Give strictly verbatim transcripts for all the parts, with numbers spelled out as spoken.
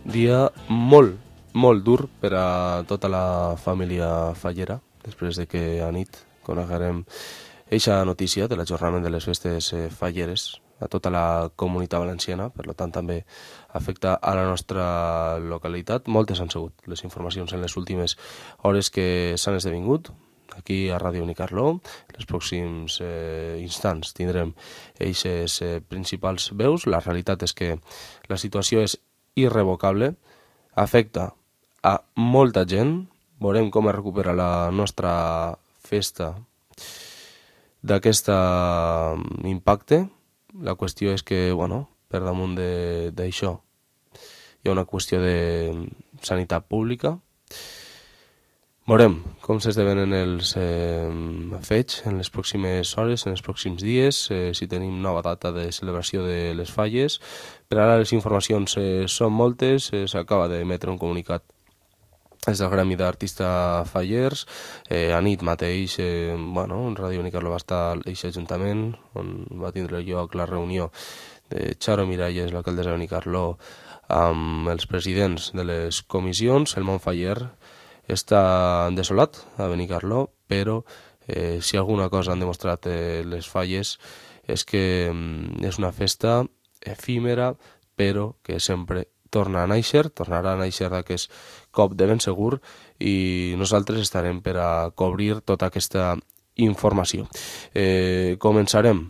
Dia molt, molt dur per a tota la família fallera, després de que a nit coneguerem eixa notícia de l'ajornament de les festes falleres a tota la comunitat valenciana, per tant també afecta a la nostra localitat. Moltes han sigut les informacions en les últimes hores que s'han esdevingut aquí a Ràdio Benicarló. En els pròxims eh, instants tindrem eixes eh, principals veus. La realitat és que la situació és irrevocable, afecta a molta gent. Veurem com es recupera la nostra festa d'aquest impacte. La qüestió és que, bueno, per damunt d'això hi ha una qüestió de sanitat pública. Veurem com s'esdevenen els eh, fets en les pròximes hores, en els pròxims dies, eh, si tenim nova data de celebració de les falles. Per ara les informacions eh, són moltes, eh, s'acaba d'emetre un comunicat des del Gremi d'Artistes Fallers. Eh, a nit mateix, eh, bueno, en Ràdio Benicarló va estar a aquest ajuntament, on va tindre lloc la reunió de Charo Miralles, l'alcaldessa de Benicarló, amb els presidents de les comissions. El món faller està desolat a Benicarló, però eh, si alguna cosa han demostrat eh, les falles és que mm, és una festa efímera, però que sempre torna a néixer, tornarà a néixer d'aquest cop de ben segur, i nosaltres estarem per a cobrir tota aquesta informació. Eh, començarem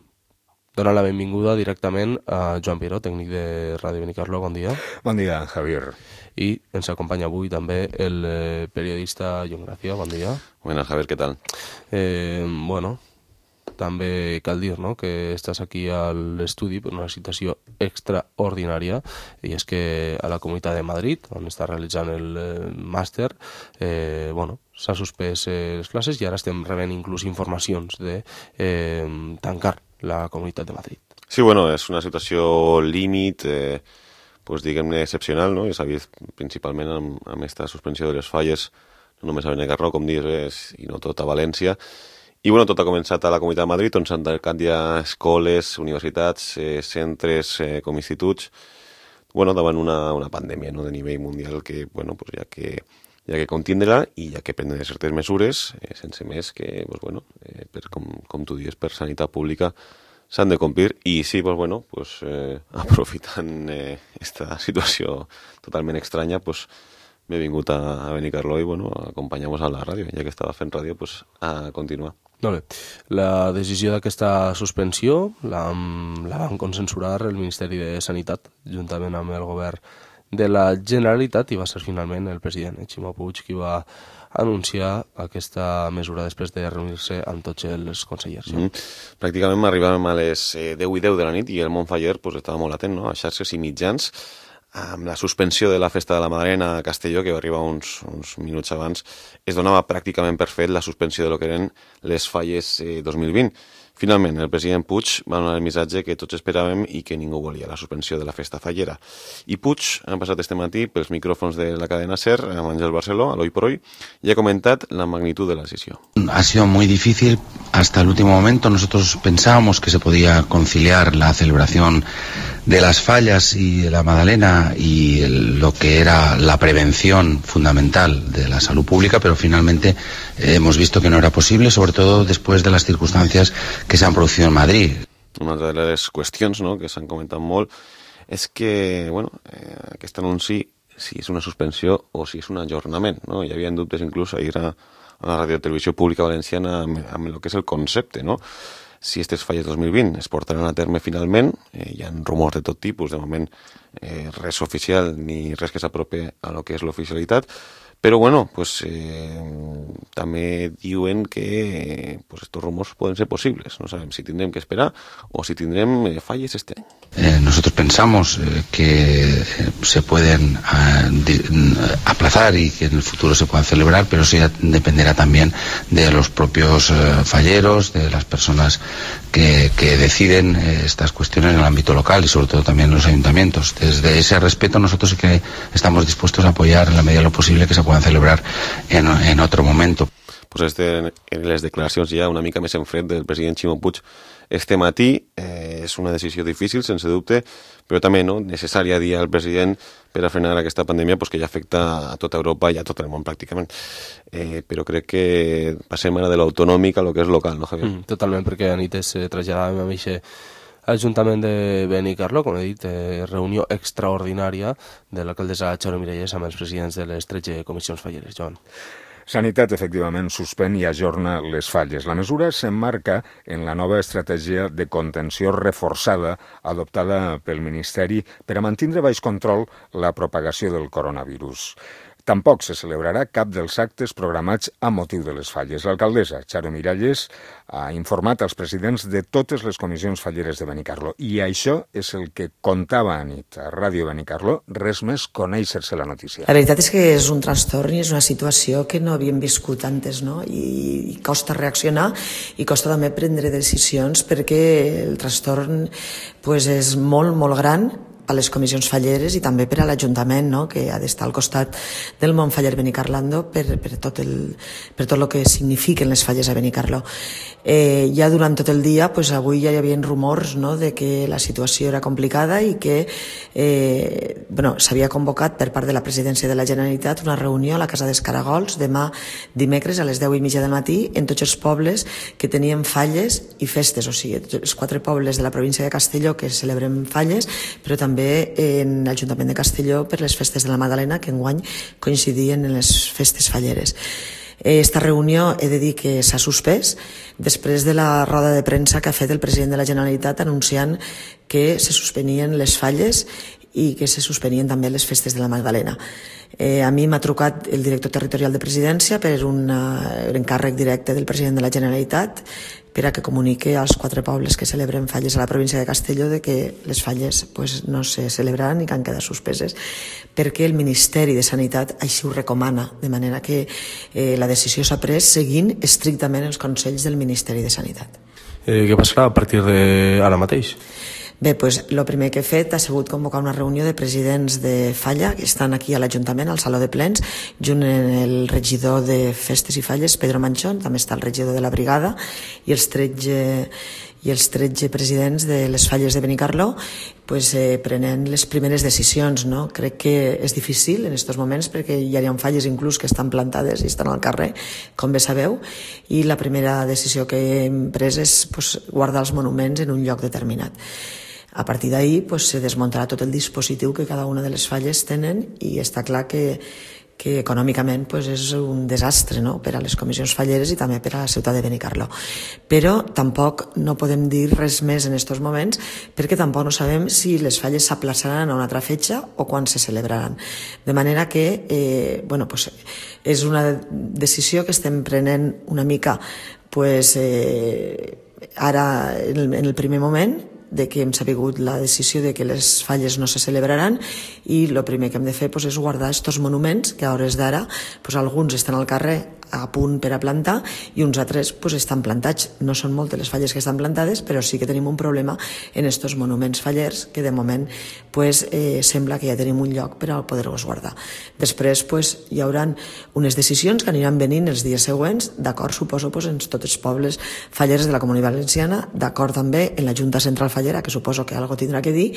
donant la benvinguda directament a Joan Piró, tècnic de Ràdio Benicarló. Bon dia. Bon dia, Javier. I ens acompanya avui també el eh, periodista Jon Gracia. Bon dia. Buenas, Javier, ¿qué tal? Eh, bueno, també cal dir, no?, que estàs aquí a l'estudi per una situació extraordinària, i és que a la Comunitat de Madrid, on està realitzant el eh, màster, eh, bueno, s'ha suspès eh, les classes i ara estem rebent inclús informacions de eh, tancar la Comunitat de Madrid. Sí, bueno, és una situació límit, eh, pues, diguem-ne, excepcional, no? I s'ha vist principalment amb, amb aquesta suspensió de les falles, no només a Benicarló, com dius, i no tot a València. I bueno, tot ha començat a la Comunitat de Madrid, on s'han tancat ja escoles, universitats, eh, centres eh, com instituts, bueno, davant una, una pandèmia, no?, de nivell mundial que, bueno, pues, ja que hi ha que contindre-la i hi ha que prendre certes mesures, eh, sense més que, pues, bueno, eh, per, com, com tu dius, per sanitat pública s'han de complir. I sí, pues, bueno, pues, eh, aprofitant eh, esta situació totalment estranya, pues, m'he vingut a, a Benicarló i, bueno, acompanyamos a la ràdio, ja que estava fent ràdio, pues, a continuar. Molt bé. La decisió d'aquesta suspensió la, la van consensuar el Ministeri de Sanitat, juntament amb el govern de la Generalitat, i va ser finalment el president Ximo Puig qui va anunciar aquesta mesura després de reunir-se amb tots els consellers. Mm -hmm. Pràcticament arribàvem a les eh, deu i deu de la nit i el món faller pues, estava molt atent, no?, a xarxes i mitjans, amb la suspensió de la Festa de la Madalena a Castelló, que va arribar uns, uns minuts abans, es donava pràcticament per fet la suspensió de lo que eren les falles eh, dos mil vint. Finalment, el president Puig va donar el missatge que tots esperàvem i que ningú volia, la suspensió de la festa fallera. I Puig ha passat este matí pels micròfons de la cadena SER, amb Àngel Barceló, a l'Hoy por Hoy, y ha comentat la magnitud de la decisión. Ha sido muy difícil hasta el último momento. Nosotros pensábamos que se podía conciliar la celebración de las fallas y de la Madalena y el, lo que era la prevención fundamental de la salud pública, pero finalmente eh, hemos visto que no era posible, sobre todo después de las circunstancias que s'han producido en Madrid. Una de les qüestions, no?, que s'han comentat molt és que, bueno, eh, aquest anunci, si és una suspensió o si és un ajornament, no? Hi havia dubtes inclús ahir a, a la radiotelevisió pública valenciana amb, amb el que és el concepte, no? Si aquestes falles dos mil vint es portaran a terme finalment, eh, hi ha rumors de tot tipus, de moment eh, res oficial ni res que s'apropi a lo que és l'oficialitat, però bueno, pues eh, també diuen que pues, estos rumors poden ser posibles. No sabem si tindrem que esperar o si tindrem eh, falles este any. Eh, nosotros pensamos eh, que eh, se pueden eh, de, aplazar y que en el futuro se puedan celebrar, pero eso ya dependerá también de los propios eh, falleros, de las personas que, que deciden eh, estas cuestiones en el ámbito local y sobre todo también en los ayuntamientos. Desde ese respeto nosotros sí que estamos dispuestos a apoyar en la medida de lo posible que se puedan celebrar en, en otro momento. pues este, en les declaracions ja una mica més en fred del president Ximo Puig este matí. Eh, és una decisió difícil, sense dubte, però també no, necessària dir al president per a frenar aquesta pandèmia pues, que ja afecta a tota Europa i a tot el món pràcticament. Eh, però crec que passem ara de l'autonòmic a lo que és local, no, Javier? Mm, totalment, perquè anit es eh, traslladàvem a aquest Ajuntament de Benicarló, com he dit, eh, reunió extraordinària de l'alcaldessa Charo Miralles amb els presidents de les tretze comissions falleres. Joan. Sanitat, efectivament, suspèn i ajorna les falles. La mesura s'emmarca en la nova estratègia de contenció reforçada adoptada pel Ministeri per a mantindre baix control la propagació del coronavirus. Tampoc se celebrarà cap dels actes programats a motiu de les falles. L'alcaldessa Charo Miralles ha informat als presidents de totes les comissions falleres de Benicarló i això és el que contava anit a Ràdio Benicarló, res més conèixer-se la notícia. La veritat és que és un trastorn i és una situació que no havíem viscut antes, no? I, i costa reaccionar i costa també prendre decisions perquè el trastorn pues, és molt, molt gran a les comissions falleres i també per a l'Ajuntament, no? Que ha d'estar al costat del món faller Benicarlando per, per, tot el, per tot el que signifiquen les falles a Benicarló. Eh, ja durant tot el dia, pues avui ja hi havia rumors, no? De que la situació era complicada i que eh, bueno, s'havia convocat per part de la presidència de la Generalitat una reunió a la Casa dels Caragols demà dimecres a les deu i mitja del matí en tots els pobles que tenien falles i festes, o sigui, els quatre pobles de la província de Castelló que celebrem falles, però també també en l'Ajuntament de Castelló per les festes de la Madalena, que enguany coincidien en les festes falleres. Esta reunió he de dir que s'ha suspès després de la roda de premsa que ha fet el president de la Generalitat anunciant que se suspenien les falles i que se suspenien també les festes de la Magdalena. Eh, a mi m'ha trucat el director territorial de presidència per un uh, encàrrec directe del president de la Generalitat per a que comunique als quatre pobles que celebren falles a la província de Castelló de que les falles pues, no se celebraran i que han quedat suspeses perquè el Ministeri de Sanitat així ho recomana, de manera que eh, la decisió s'ha pres seguint estrictament els consells del Ministeri de Sanitat. Eh, què passarà a partir d'ara mateix? Bé, doncs, el primer que he fet ha sigut convocar una reunió de presidents de Falla, que estan aquí a l'Ajuntament, al Saló de Plens, junt amb el regidor de Festes i Falles, Pedro Manchón, també està el regidor de la Brigada, i els tretze, i els tretze presidents de les falles de Benicarló, pues, eh, prenent les primeres decisions. No? Crec que és difícil en aquests moments perquè hi ha falles inclús que estan plantades i estan al carrer, com bé sabeu, i la primera decisió que hem pres és pues, guardar els monuments en un lloc determinat. A partir d'ahir pues, se desmuntarà tot el dispositiu que cada una de les falles tenen i està clar que, que econòmicament pues, és un desastre, no? Per a les comissions falleres i també per a la ciutat de Benicarló. Però tampoc no podem dir res més en aquests moments perquè tampoc no sabem si les falles s'aplaçaran a una altra fetge o quan se celebraran. De manera que eh, bueno, pues, és una decisió que estem prenent una mica pues, eh, ara en el, en el primer moment de que hem sabut la decisió de que les falles no se celebraran i el primer que hem de fer pues, és guardar aquests monuments que a hores d'ara pues, alguns estan al carrer a punt per a plantar i uns altres pues, estan plantats. No són moltes les falles que estan plantades, però sí que tenim un problema en aquests monuments fallers que de moment pues, eh, sembla que ja tenim un lloc per a poder-los guardar. Després pues, hi haurà unes decisions que aniran venint els dies següents, d'acord, suposo, pues, en tots els pobles fallers de la Comunitat Valenciana, d'acord també en la Junta Central Fallera, que suposo que algo tindrà que dir,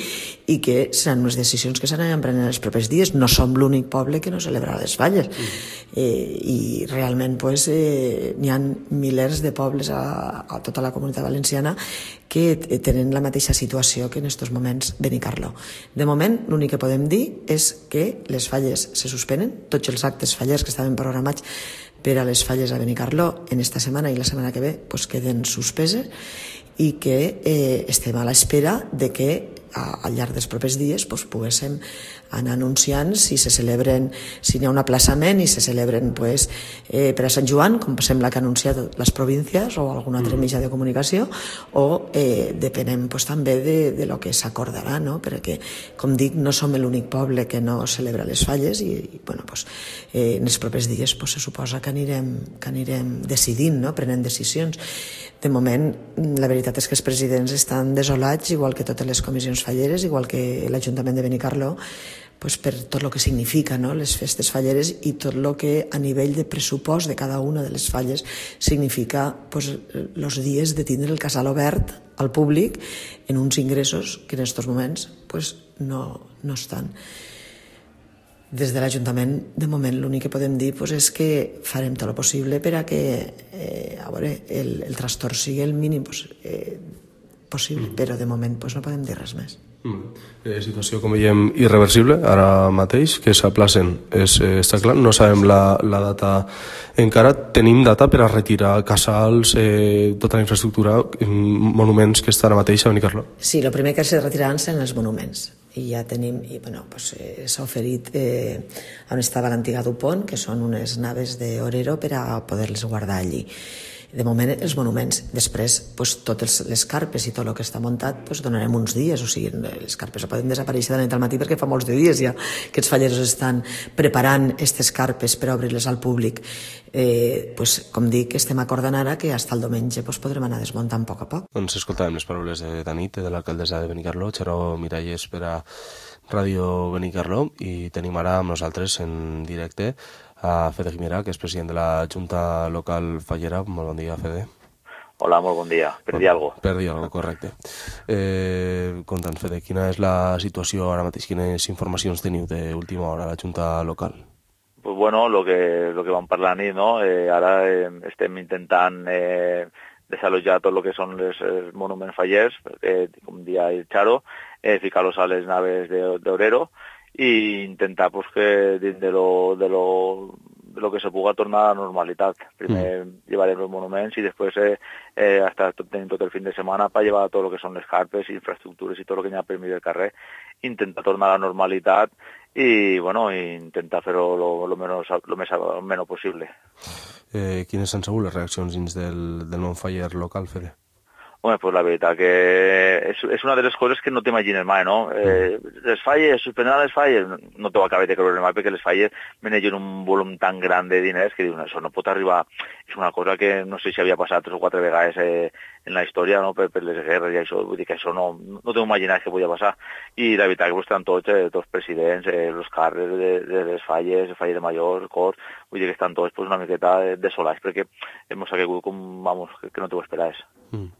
i que seran unes decisions que s'aniran prenent els propers dies. No som l'únic poble que no celebrarà les falles. Mm. Eh, I realment pues, eh, n'hi ha milers de pobles a, a tota la Comunitat Valenciana que tenen la mateixa situació que en aquests moments Benicarló. De moment, l'únic que podem dir és que les falles se suspenen, tots els actes fallers que estaven programats per a les falles a Benicarló en esta setmana i la setmana que ve pues, queden suspeses i que eh, estem a l'espera de que a, al llarg dels propers dies pues, poguéssim anar anunciant si se celebren, si n'hi ha un aplaçament i se celebren pues, eh, per a Sant Joan, com sembla que ha anunciat les províncies o algun altre mm. mitjà de comunicació, o eh, depenem pues, també de, de lo que s'acordarà, no? Perquè, com dic, no som l'únic poble que no celebra les falles i, i bueno, pues, eh, en els propers dies pues, se suposa que anirem, que anirem decidint, no? Prenent decisions. De moment, la veritat és que els presidents estan desolats, igual que totes les comissions falleres, igual que l'Ajuntament de Benicarló, pues, per tot el que significa, no?, les festes falleres i tot el que a nivell de pressupost de cada una de les falles significa pues, els dies de tindre el casal obert al públic en uns ingressos que en aquests moments pues, no, no estan. Des de l'Ajuntament, de moment, l'únic que podem dir pues, és que farem tot el possible per a que eh, a veure, el, el trastorn sigui el mínim pues, eh, possible, mm. però de moment pues, no podem dir res més. Mm. Eh, situació, com veiem, irreversible ara mateix, que s'aplacen, és, eh, està clar, no sabem la, la data encara. Tenim data per a retirar casals, eh, tota la infraestructura, monuments que estan ara mateix a Benicarló? Sí, el primer que se retiraran seran els monuments. I ja tenim, i bueno, pues, eh, s'ha oferit eh, on estava l'antiga Dupont, que són unes naves d'Orero per a poder-les guardar allí. De moment, els monuments. Després, pues, totes les carpes i tot el que està muntat, pues, donarem uns dies. O sigui, les carpes no poden desaparèixer de la nit al matí perquè fa molts de dies ja que els falleros estan preparant aquestes carpes per obrir-les al públic. Eh, pues, com dic, estem acordant ara que fins al diumenge pues, podrem anar desmuntant a poc a poc. Doncs escoltàvem les paraules de Danit, de l'alcaldessa de Benicarló, Xaró Miralles, per a Ràdio Benicarló, i tenim ara amb nosaltres en directe a Fede Guimera, que és president de la Junta Local Fallera. Molt bon dia, Fede. Hola, molt bon dia. Per dir alguna cosa. Per dir alguna cosa, correcte. Eh, Conta'ns, Fede, quina és la situació ara mateix? Quines informacions teniu d'última hora a la Junta Local? Pues bueno, lo que, lo que vam parlar nit, no? Eh, ara eh, estem intentant eh, desalojar tot el que són els, els monuments fallers, eh, com dia el Xaro, eh, ficar-los a les naves d'Orero, i intentar pues, que dins de lo, de, lo, de lo que se puga tornar a la normalitat. Primer mm. llevarem els monuments i després eh, eh, hasta tenim tot el fin de setmana per llevar tot el que són les carpes, infraestructures i tot el que hi ha per mig del carrer, intentar tornar a la normalitat i bueno, intentar fer-ho lo, lo, menos, lo més lo menys possible. Eh, quines han sigut les reaccions dins del, del món faller local, Fede? Home, pues la veritat que és, és una de les coses que no t'imagines mai, no? Eh, les falles, suspendran les falles, no t'ho acabes de creure mai perquè les falles manegen un volum tan gran de diners que diuen, això no pot arribar, és una cosa que no sé si havia passat tres o quatre vegades eh, en la història, no?, per, per les guerres i això, vull dir que això no, no t'ho imagines que podia passar. I la veritat que pues, estan tots, eh, tots presidents, eh, els càrrecs de, de les falles, el faller de Major, el cor, vull dir que estan tots pues, una miqueta desolats perquè hem caigut com, vamos, que, que no t'ho esperaves. Mm.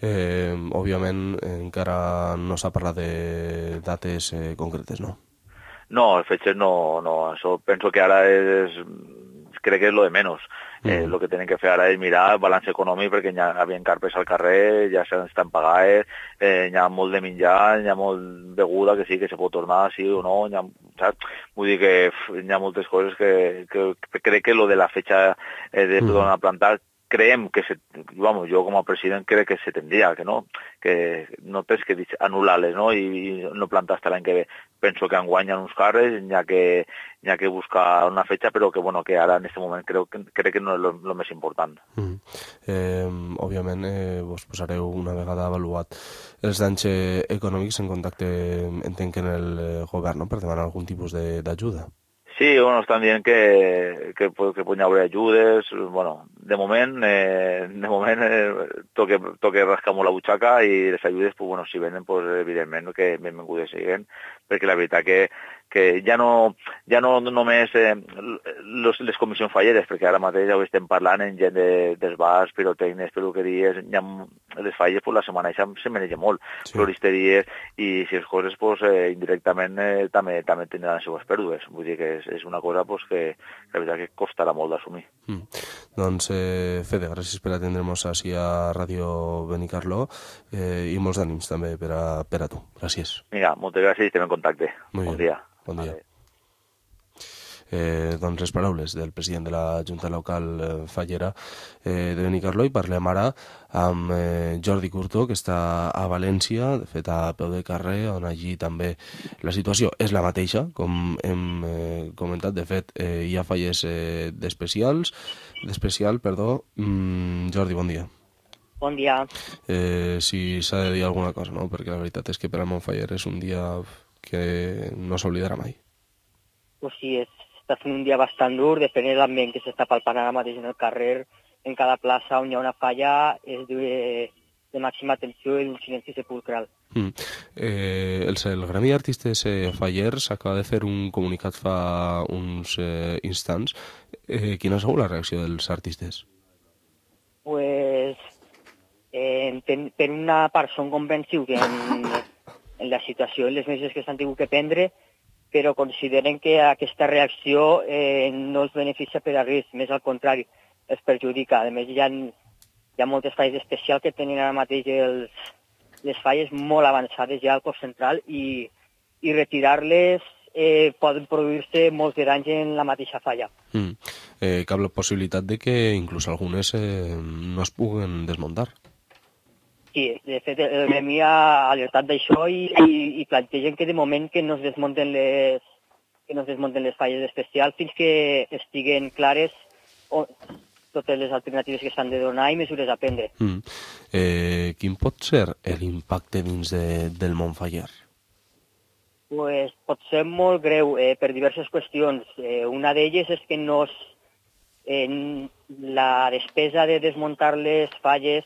Eh, òbviament encara no s'ha parlat de dates eh, concretes, no? No, fetges no, no, això penso que ara és, crec que és lo de menys. Mm. Eh, lo que tenen que fer ara és mirar el balanç econòmic perquè hi havia carpes al carrer, ja s'estan pagades, eh, hi ha molt de menjar, hi ha molt beguda que sí que se pot tornar, sí o no, hi ha, saps? Vull dir que f, hi ha moltes coses que, que, que crec que lo de la fetxa eh, de mm. a plantar creiem que, se, vamos, jo com a president crec que se tendria, que no, que no tens que anul·lar-les, no?, i, i no plantar hasta l'any que ve. Penso que enguany hi ha uns carres, hi ha que, hi ha que buscar una fetxa, però que, bueno, que ara en aquest moment crec, crec que no és el més important. Mm. Eh, òbviament, eh, vos posareu una vegada avaluat els danys eh, econòmics en contacte, entenc, en el eh, govern, no?, per demanar algun tipus d'ajuda. Sí, bueno, estan dient que, que, que poden haver ajudes, bueno, de moment, eh, de moment eh, toque, toque rascar molt la butxaca i les ajudes, pues, bueno, si venen, pues, evidentment que benvingudes siguen, perquè la veritat que, que ja no, ja no només eh, los, les comissions falleres, perquè ara mateix ja ho estem parlant en gent de, dels bars, pirotècnics, peluqueries, ja, les falles, pues, la setmana ja se maneja molt, sí. Floristeries, i si les coses, pues, eh, indirectament eh, també, també tindran les seves pèrdues, vull dir que és és una cosa pues, que la veritat que costarà molt d'assumir. Mm. Doncs, eh, Fede, gràcies per atendre'ns així a Ràdio Benicarló eh, i molts ànims també per a, per a tu. Gràcies. Vinga, moltes gràcies i estem en contacte. Muy bon bien. dia. Bon dia. Vale. Eh, doncs les paraules del president de la Junta Local eh, Fallera eh, de Benicarló, i parlem ara amb eh, Jordi Curto, que està a València, de fet a peu de carrer, on allí també la situació és la mateixa, com hem eh, comentat. De fet, eh, hi ha falles eh, d'especials, d'especial, perdó. Mm, Jordi, bon dia. Bon dia. Eh, si s'ha de dir alguna cosa, no? Perquè la veritat és que per al Montfaller és un dia que no s'oblidarà mai. Pues sí, és està fent un dia bastant dur, depèn de l'ambient que s'està palpant ara mateix en el carrer, en cada plaça on hi ha una falla, és de, de màxima atenció i d'un silenci sepulcral. Mm. Eh, el, el Gremi d'Artistes eh, Fallers acaba de fer un comunicat fa uns eh, instants. Eh, quina ha sigut la reacció dels artistes? Pues, eh, per, per una part són convençuts en, en la situació, en les mesures que s'han tingut que prendre, però consideren que aquesta reacció eh, no els beneficia per a res, més al contrari, els perjudica. A més, hi ha, hi ha moltes falles especials que tenen ara mateix els, les falles molt avançades ja al cos central i, i retirar-les eh, poden produir-se molts de danys en la mateixa falla. Mm. Eh, cap la possibilitat de que inclús algunes eh, no es puguen desmuntar. Sí, de fet, el Gremi ha alertat d'això i, i, i plantegen que de moment que no es desmunten les, que no es desmunten les falles especials fins que estiguen clares o, totes les alternatives que s'han de donar i mesures a prendre. Mm. Eh, quin pot ser l'impacte dins de, del món faller? Pues, pot ser molt greu eh, per diverses qüestions. Eh, una d'elles és que no es, eh, la despesa de desmuntar les falles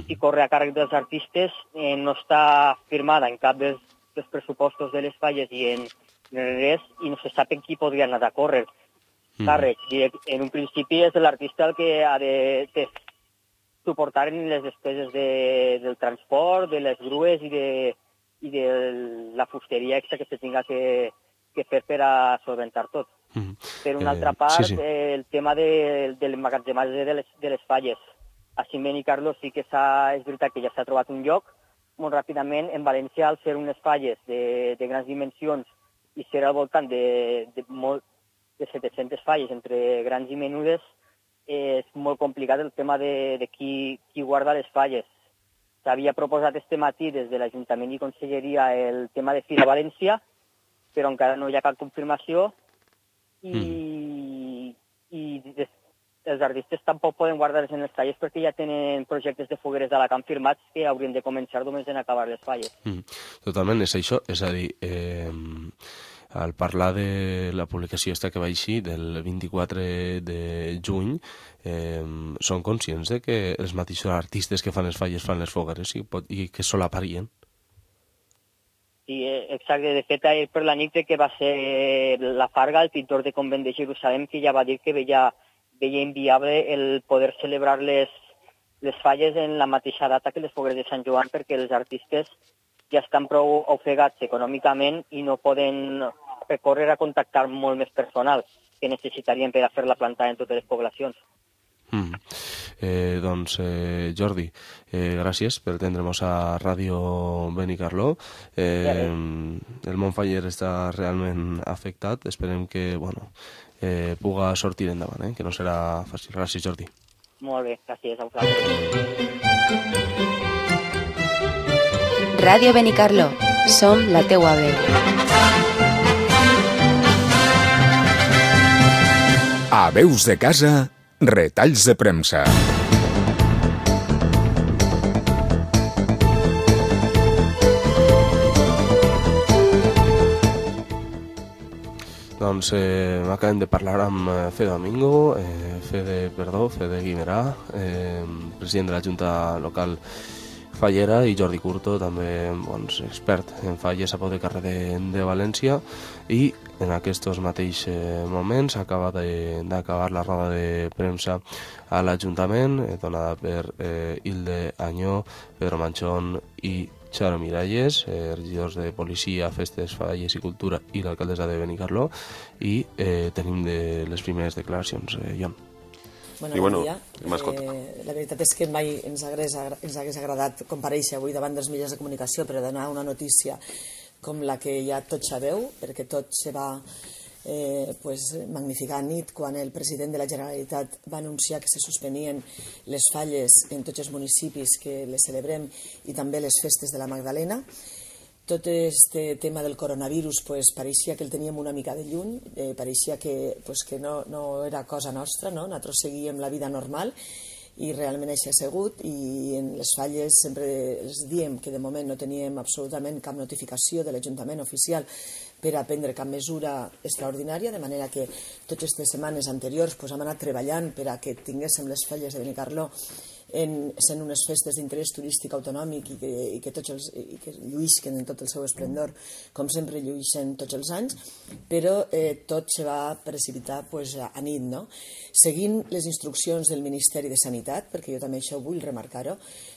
i corre a càrrec dels artistes eh, no està firmada en cap dels, dels pressupostos de les falles i en, en res, i no se sap en qui podria anar a córrer càrrec. Mm. En un principi és l'artista el que ha de, de suportar les despeses de, del transport, de les grues i de, i de la fusteria extra que se tinga que, que fer per a solventar tot. Mm. Per una eh, altra part, sí, sí. Eh, el tema de, de l'emmagatzematge de, les, de les falles. A Ciment i Carlo sí que és veritat que ja s'ha trobat un lloc molt ràpidament. En València, al ser unes falles de, de grans dimensions i ser al voltant de, de, molt, de set-centes falles entre grans i menudes, eh, és molt complicat el tema de, de qui, qui guarda les falles. S'havia proposat este matí des de l'Ajuntament i Conselleria el tema de Fira València, però encara no hi ha cap confirmació i, mm. i des, els artistes tampoc poden guardar-les en els tallers perquè ja tenen projectes de fogueres d'Alacant firmats que haurien de començar només en acabar les falles. Mm, totalment, és això. És a dir, eh, al parlar de la publicació esta que va així del vint-i-quatre de juny, eh, són conscients de que els mateixos artistes que fan les falles fan les fogueres i, pot, i que solaparien? Sí, exacte. De fet, per la nit que va ser la Farga, el pintor de convent de Jerusalem, que ja va dir que veia veia inviable el poder celebrar les, les falles en la mateixa data que les fogueres de Sant Joan perquè els artistes ja estan prou ofegats econòmicament i no poden recórrer a contactar molt més personal que necessitarien per a fer la plantada en totes les poblacions. Mm. Eh, doncs, eh, Jordi, eh, gràcies per atendre'ns a Ràdio Benicarló. Eh, el món faller està realment afectat. Esperem que, bueno, eh, puga sortir endavant, eh? Que no serà fàcil. Gràcies, Jordi. Molt bé, gràcies a vosaltres. Ràdio Benicarló, som la teua veu. A Veus de Casa, retalls de premsa. Doncs eh, acabem de parlar amb Fede Domingo, eh, Fede, perdó, Fede Guimerà, eh, president de la Junta Local Fallera, i Jordi Curto, també doncs, expert en falles a Pau de Carrer de, de València, i en aquests mateixos moments acaba d'acabar la roda de premsa a l'Ajuntament, eh, donada per eh, Hilde Añó, Pedro Manchón i Xaro Miralles, eh, regidors de Policia, Festes, Falles i Cultura, i l'alcaldessa de Benicarló, i eh, tenim de les primeres declaracions. Eh, Jon. Bueno, bon dia. Eh, la veritat és que mai ens hagués, ens hagués agradat comparèixer avui davant dels mitjans de comunicació per donar una notícia com la que ja tot sabeu, perquè tot se va eh, pues, magnificar a nit quan el president de la Generalitat va anunciar que se suspenien les falles en tots els municipis que les celebrem i també les festes de la Magdalena. Tot este tema del coronavirus pues, pareixia que el teníem una mica de lluny, eh, pareixia que, pues, que no, no era cosa nostra, no? Nosaltres seguíem la vida normal i realment això ha sigut, i en les falles sempre els diem que de moment no teníem absolutament cap notificació de l'Ajuntament oficial per a prendre cap mesura extraordinària, de manera que totes aquestes setmanes anteriors pues, hem anat treballant per a que tinguéssim les falles de Benicarló sent unes festes d'interès turístic autonòmic i que, i que, tots els, i que lluïsquen en tot el seu esplendor, com sempre lluïsquen tots els anys, però eh, tot se va precipitar pues, a, a nit, no? Seguint les instruccions del Ministeri de Sanitat, perquè jo també això vull remarcar-ho,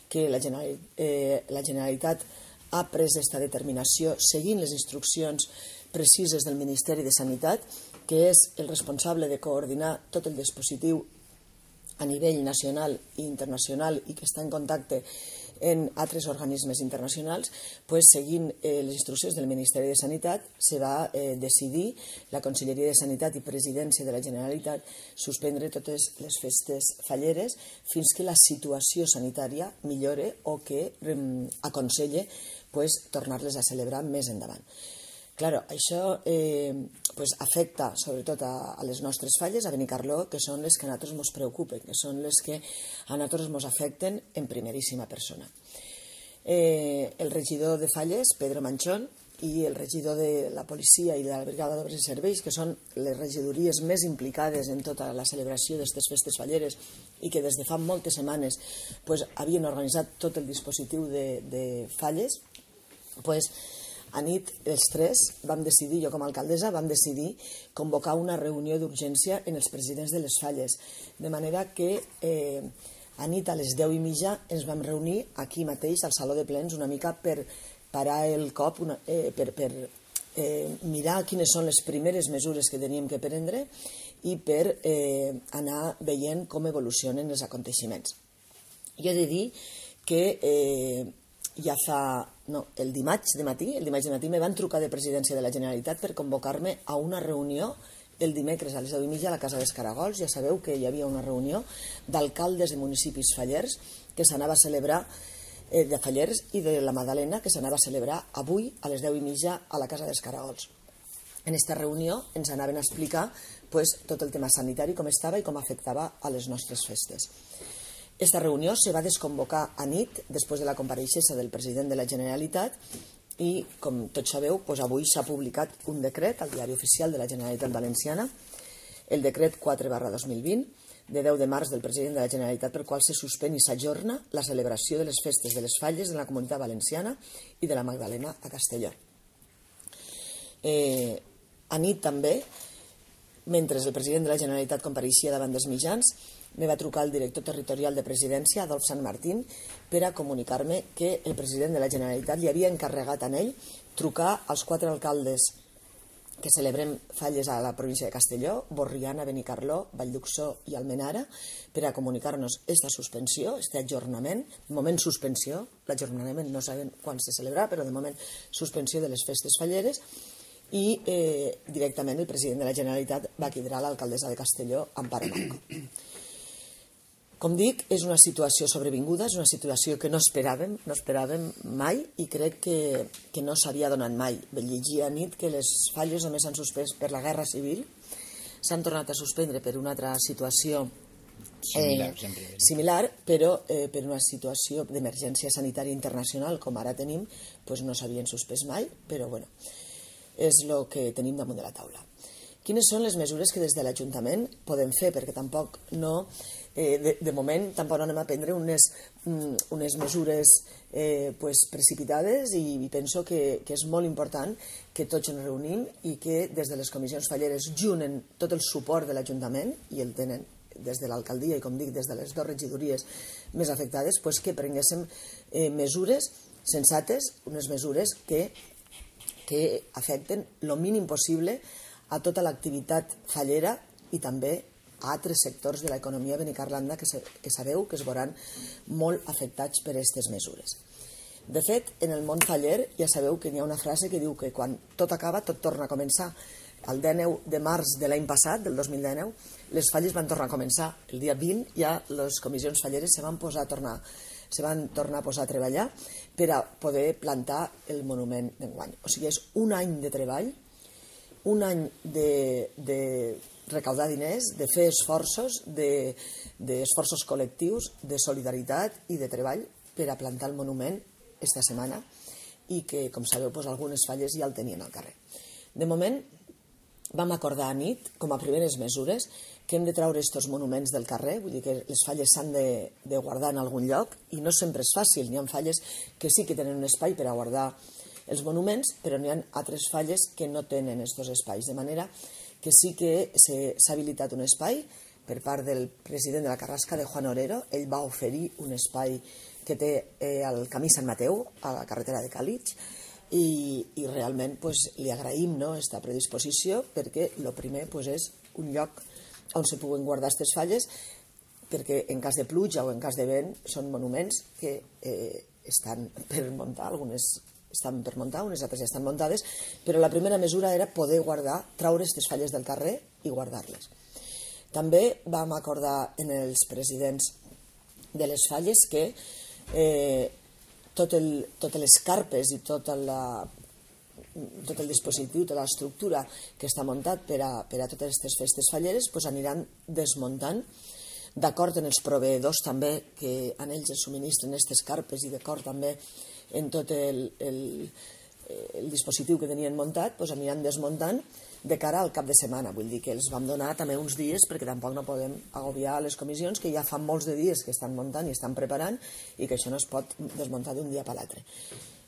que la, General, eh, la Generalitat ha pres aquesta determinació seguint les instruccions precises del Ministeri de Sanitat, que és el responsable de coordinar tot el dispositiu a nivell nacional i internacional i que està en contacte en altres organismes internacionals, pues, seguint eh, les instruccions del Ministeri de Sanitat, se va eh, decidir la Conselleria de Sanitat i Presidència de la Generalitat suspendre totes les festes falleres fins que la situació sanitària millore o que eh, aconselle pues, tornar-les a celebrar més endavant. Claro, això eh, pues afecta sobretot a, a les nostres falles, a Benicarló, que són les que a nosaltres ens preocupen, que són les que a nosaltres ens afecten en primeríssima persona. Eh, el regidor de Falles, Pedro Manchón, i el regidor de la policia i de la brigada d'obres i serveis, que són les regidories més implicades en tota la celebració d'aquestes festes falleres i que des de fa moltes setmanes pues, havien organitzat tot el dispositiu de, de falles, pues, a nit, els tres, vam decidir, jo com a alcaldessa, vam decidir convocar una reunió d'urgència en els presidents de les falles, de manera que eh, a nit a les deu i mitja ens vam reunir aquí mateix, al Saló de Plens, una mica per parar el cop, una, eh, per, per eh, mirar quines són les primeres mesures que teníem que prendre i per eh, anar veient com evolucionen els aconteixements. Jo he de dir que eh, ja fa... No, el dimarts de matí, el dimarts de matí me van trucar de Presidència de la Generalitat per convocar-me a una reunió el dimecres a les deu i mitja a la Casa dels Caragols. Ja sabeu que hi havia una reunió d'alcaldes de municipis fallers que s'anava a celebrar, eh, de Fallers i de la Madalena, que s'anava a celebrar avui a les deu i mitja a la Casa dels Caragols. En aquesta reunió ens anaven a explicar pues, tot el tema sanitari, com estava i com afectava a les nostres festes. Esta reunió se va desconvocar a nit després de la compareixença del president de la Generalitat i, com tots sabeu, doncs avui s'ha publicat un decret al Diari Oficial de la Generalitat Valenciana, el decret quatre barra dos mil vint, de deu de març del president de la Generalitat, per qual se suspèn i s'ajorna la celebració de les festes de les falles de la Comunitat Valenciana i de la Magdalena a Castelló. Eh, a nit també, mentre el president de la Generalitat compareixia davant dels mitjans, me va trucar el director territorial de Presidència, Adolf Sant Martín, per a comunicar-me que el president de la Generalitat li havia encarregat a ell trucar als quatre alcaldes que celebrem falles a la província de Castelló, Borriana, Benicarló, Vallduxó i Almenara, per a comunicar-nos esta suspensió, este ajornament, de moment suspensió, l'ajornament no sabem quan se celebrarà, però de moment suspensió de les festes falleres, i eh, directament el president de la Generalitat va cridar a l'alcaldessa de Castelló, Amparo Manco. Com dic, és una situació sobrevinguda, és una situació que no esperàvem, no esperàvem mai i crec que, que no s'havia donat mai. Vaig llegir a nit que les falles només s'han suspès per la Guerra Civil, s'han tornat a suspendre per una altra situació eh, similar, però eh, per una situació d'emergència sanitària internacional, com ara tenim, doncs no s'havien suspès mai, però bueno, és el que tenim damunt de la taula. Quines són les mesures que des de l'Ajuntament podem fer? Perquè tampoc no... Eh, de, de moment tampoc no anem a prendre unes, unes mesures eh, pues, precipitades i, i penso que, que és molt important que tots ens reunim i que des de les comissions falleres junen tot el suport de l'Ajuntament i el tenen des de l'alcaldia i com dic des de les dues regidories més afectades, pues, que prenguéssim eh, mesures sensates, unes mesures que, que afecten el mínim possible a tota l'activitat fallera i també a altres sectors de l'economia benicarlanda que, se, que sabeu que es veuran molt afectats per aquestes mesures. De fet, en el món faller ja sabeu que hi ha una frase que diu que quan tot acaba, tot torna a començar. El dinou de març de l'any passat, del dos mil dinou, les falles van tornar a començar. El dia vint ja les comissions falleres se van, posar a tornar, se van tornar a posar a treballar per a poder plantar el monument d'enguany. O sigui, és un any de treball, un any de... de recaudar diners, de fer esforços, d'esforços de, col·lectius, de solidaritat i de treball per a plantar el monument esta setmana i que, com sabeu, doncs, algunes falles ja el tenien al carrer. De moment, vam acordar a nit, com a primeres mesures, que hem de treure aquests monuments del carrer, vull dir que les falles s'han de, de guardar en algun lloc, i no sempre és fàcil, n'hi ha falles que sí que tenen un espai per a guardar els monuments, però n'hi ha altres falles que no tenen aquests espais, de manera que sí que s'ha habilitat un espai per part del president de la Carrasca, de Juan Orero. Ell va oferir un espai que té eh, al camí Sant Mateu, a la carretera de Càlig, i, i realment pues, li agraïm no, aquesta predisposició, perquè el primer pues, és un lloc on se puguen guardar aquestes falles, perquè en cas de pluja o en cas de vent són monuments que eh, estan per muntar, algunes estan per muntar, unes altres ja estan muntades, però la primera mesura era poder guardar, traure aquestes falles del carrer i guardar-les. També vam acordar en els presidents de les falles que eh, tot el, totes les carpes i tot, la, tot el dispositiu, tota l'estructura que està muntat per a, per a totes aquestes festes falleres pues, aniran desmuntant, d'acord en els proveïdors també que en ells es subministren aquestes carpes i d'acord també en tot el, el, el dispositiu que tenien muntat, pues, aniran desmuntant de cara al cap de setmana. Vull dir que els vam donar també uns dies perquè tampoc no podem agobiar les comissions que ja fa molts de dies que estan muntant i estan preparant i que això no es pot desmuntar d'un dia per l'altre.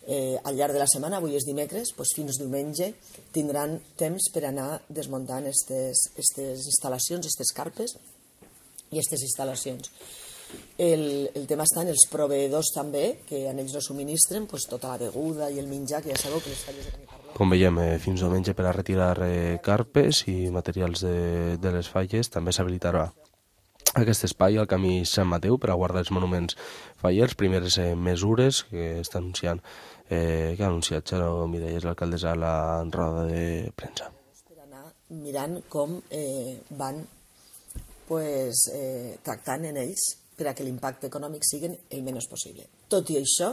Eh, al llarg de la setmana, avui és dimecres, doncs fins diumenge tindran temps per anar desmuntant aquestes instal·lacions, aquestes carpes i aquestes instal·lacions. El, el tema està en els proveïdors també, que en ells no subministren pues, tota la beguda i el menjar, que ja sabeu que les falles de Benicarló. Com veiem, eh, fins diumenge per a retirar eh, carpes i materials de, de les falles. També s'habilitarà aquest espai al camí Sant Mateu per a guardar els monuments fallers. Primeres eh, mesures que està anunciant, eh, que ha anunciat Xaro Miralles, l'alcaldessa, a la roda de premsa. Per anar mirant com eh, van pues, eh, tractant en ells per a que l'impacte econòmic sigui el menys possible. Tot i això,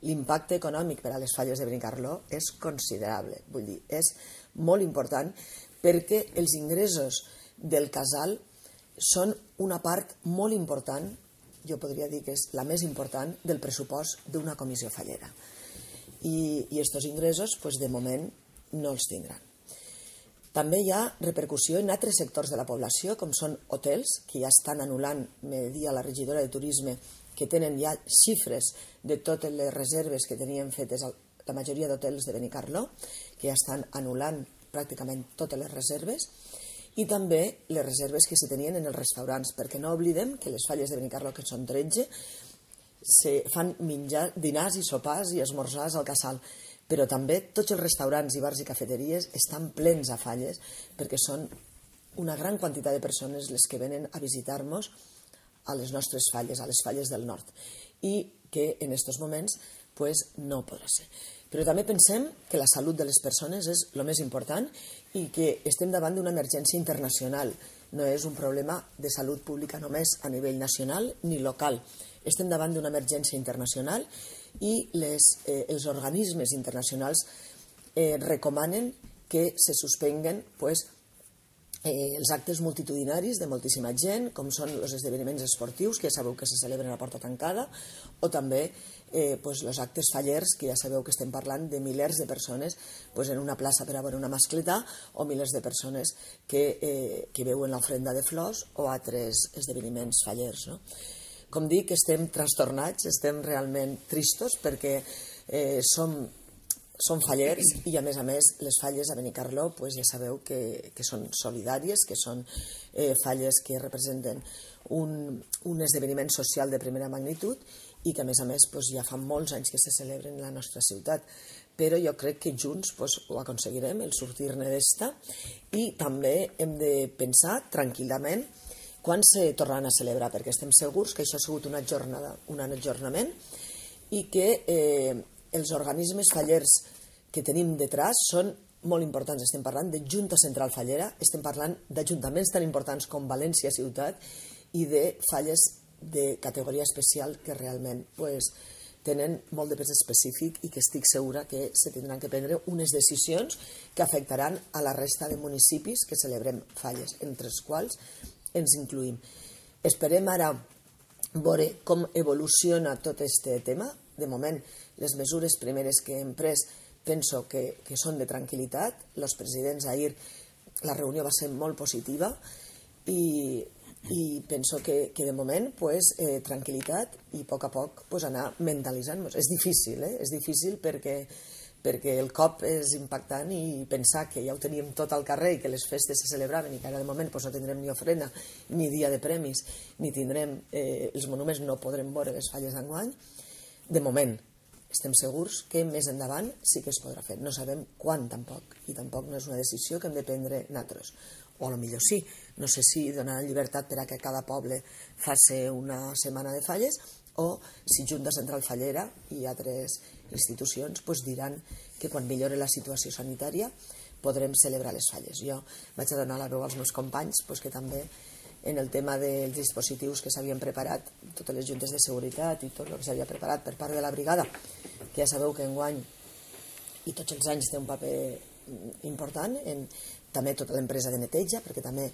l'impacte econòmic per a les falles de Benicarló és considerable, vull dir, és molt important perquè els ingressos del casal són una part molt important, jo podria dir que és la més important del pressupost d'una comissió fallera. I aquests ingressos, pues, de moment, no els tindran. També hi ha repercussió en altres sectors de la població, com són hotels, que ja estan anul·lant, me dia la regidora de Turisme, que tenen ja xifres de totes les reserves que tenien fetes la majoria d'hotels de Benicarló, que ja estan anul·lant pràcticament totes les reserves, i també les reserves que s'hi tenien en els restaurants, perquè no oblidem que les falles de Benicarló, que són tretze, se fan menjar, dinars i sopars i esmorzars al casal, però també tots els restaurants i bars i cafeteries estan plens a falles perquè són una gran quantitat de persones les que venen a visitar-nos a les nostres falles, a les falles del nord, i que en aquests moments pues, no podrà ser. Però també pensem que la salut de les persones és el més important i que estem davant d'una emergència internacional. No és un problema de salut pública només a nivell nacional ni local. Estem davant d'una emergència internacional i les, eh, els organismes internacionals eh, recomanen que se suspenguen pues, eh, els actes multitudinaris de moltíssima gent, com són els esdeveniments esportius, que ja sabeu que se celebren a porta tancada, o també eh, pues, els actes fallers, que ja sabeu que estem parlant de milers de persones pues, en una plaça per a veure una mascletà, o milers de persones que, eh, que veuen l'ofrenda de flors o altres esdeveniments fallers, no? Com dic, estem trastornats, estem realment tristos perquè eh, som, som fallers i, a més a més, les falles a Benicarló pues, ja sabeu que, que són solidàries, que són eh, falles que representen un, un esdeveniment social de primera magnitud i que, a més a més, pues, ja fa molts anys que se celebren en la nostra ciutat. Però jo crec que junts pues, ho aconseguirem, el sortir-ne d'esta, i també hem de pensar tranquil·lament quan se tornaran a celebrar, perquè estem segurs que això ha sigut una jornada, un ajornament i que eh, els organismes fallers que tenim detrás són molt importants. Estem parlant de Junta Central Fallera, estem parlant d'ajuntaments tan importants com València Ciutat i de falles de categoria especial que realment pues, tenen molt de pes específic i que estic segura que se tindran que prendre unes decisions que afectaran a la resta de municipis que celebrem falles, entre els quals ens incluïm. Esperem ara veure com evoluciona tot aquest tema. De moment, les mesures primeres que hem pres penso que, que són de tranquil·litat. Els presidents ahir la reunió va ser molt positiva i, i penso que, que de moment pues, eh, tranquil·litat i a poc a poc pues, anar mentalitzant-nos. És difícil, eh? És difícil perquè perquè el cop és impactant i pensar que ja ho teníem tot al carrer i que les festes se celebraven i que ara de moment pues, no tindrem ni ofrena, ni dia de premis, ni tindrem eh, els monuments, no podrem veure les falles d'enguany. De moment estem segurs que més endavant sí que es podrà fer. No sabem quan tampoc, i tampoc no és una decisió que hem de prendre nosaltres. O a lo millor sí, no sé si donaran llibertat per a que cada poble faci una setmana de falles, o si Junta Central Fallera i altres institucions pues, diran que quan millore la situació sanitària podrem celebrar les falles. Jo vaig a donar la veu als meus companys pues, que també en el tema dels dispositius que s'havien preparat, totes les juntes de seguretat i tot el que s'havia preparat per part de la brigada, que ja sabeu que enguany i tots els anys té un paper important, en, també tota l'empresa de neteja, perquè també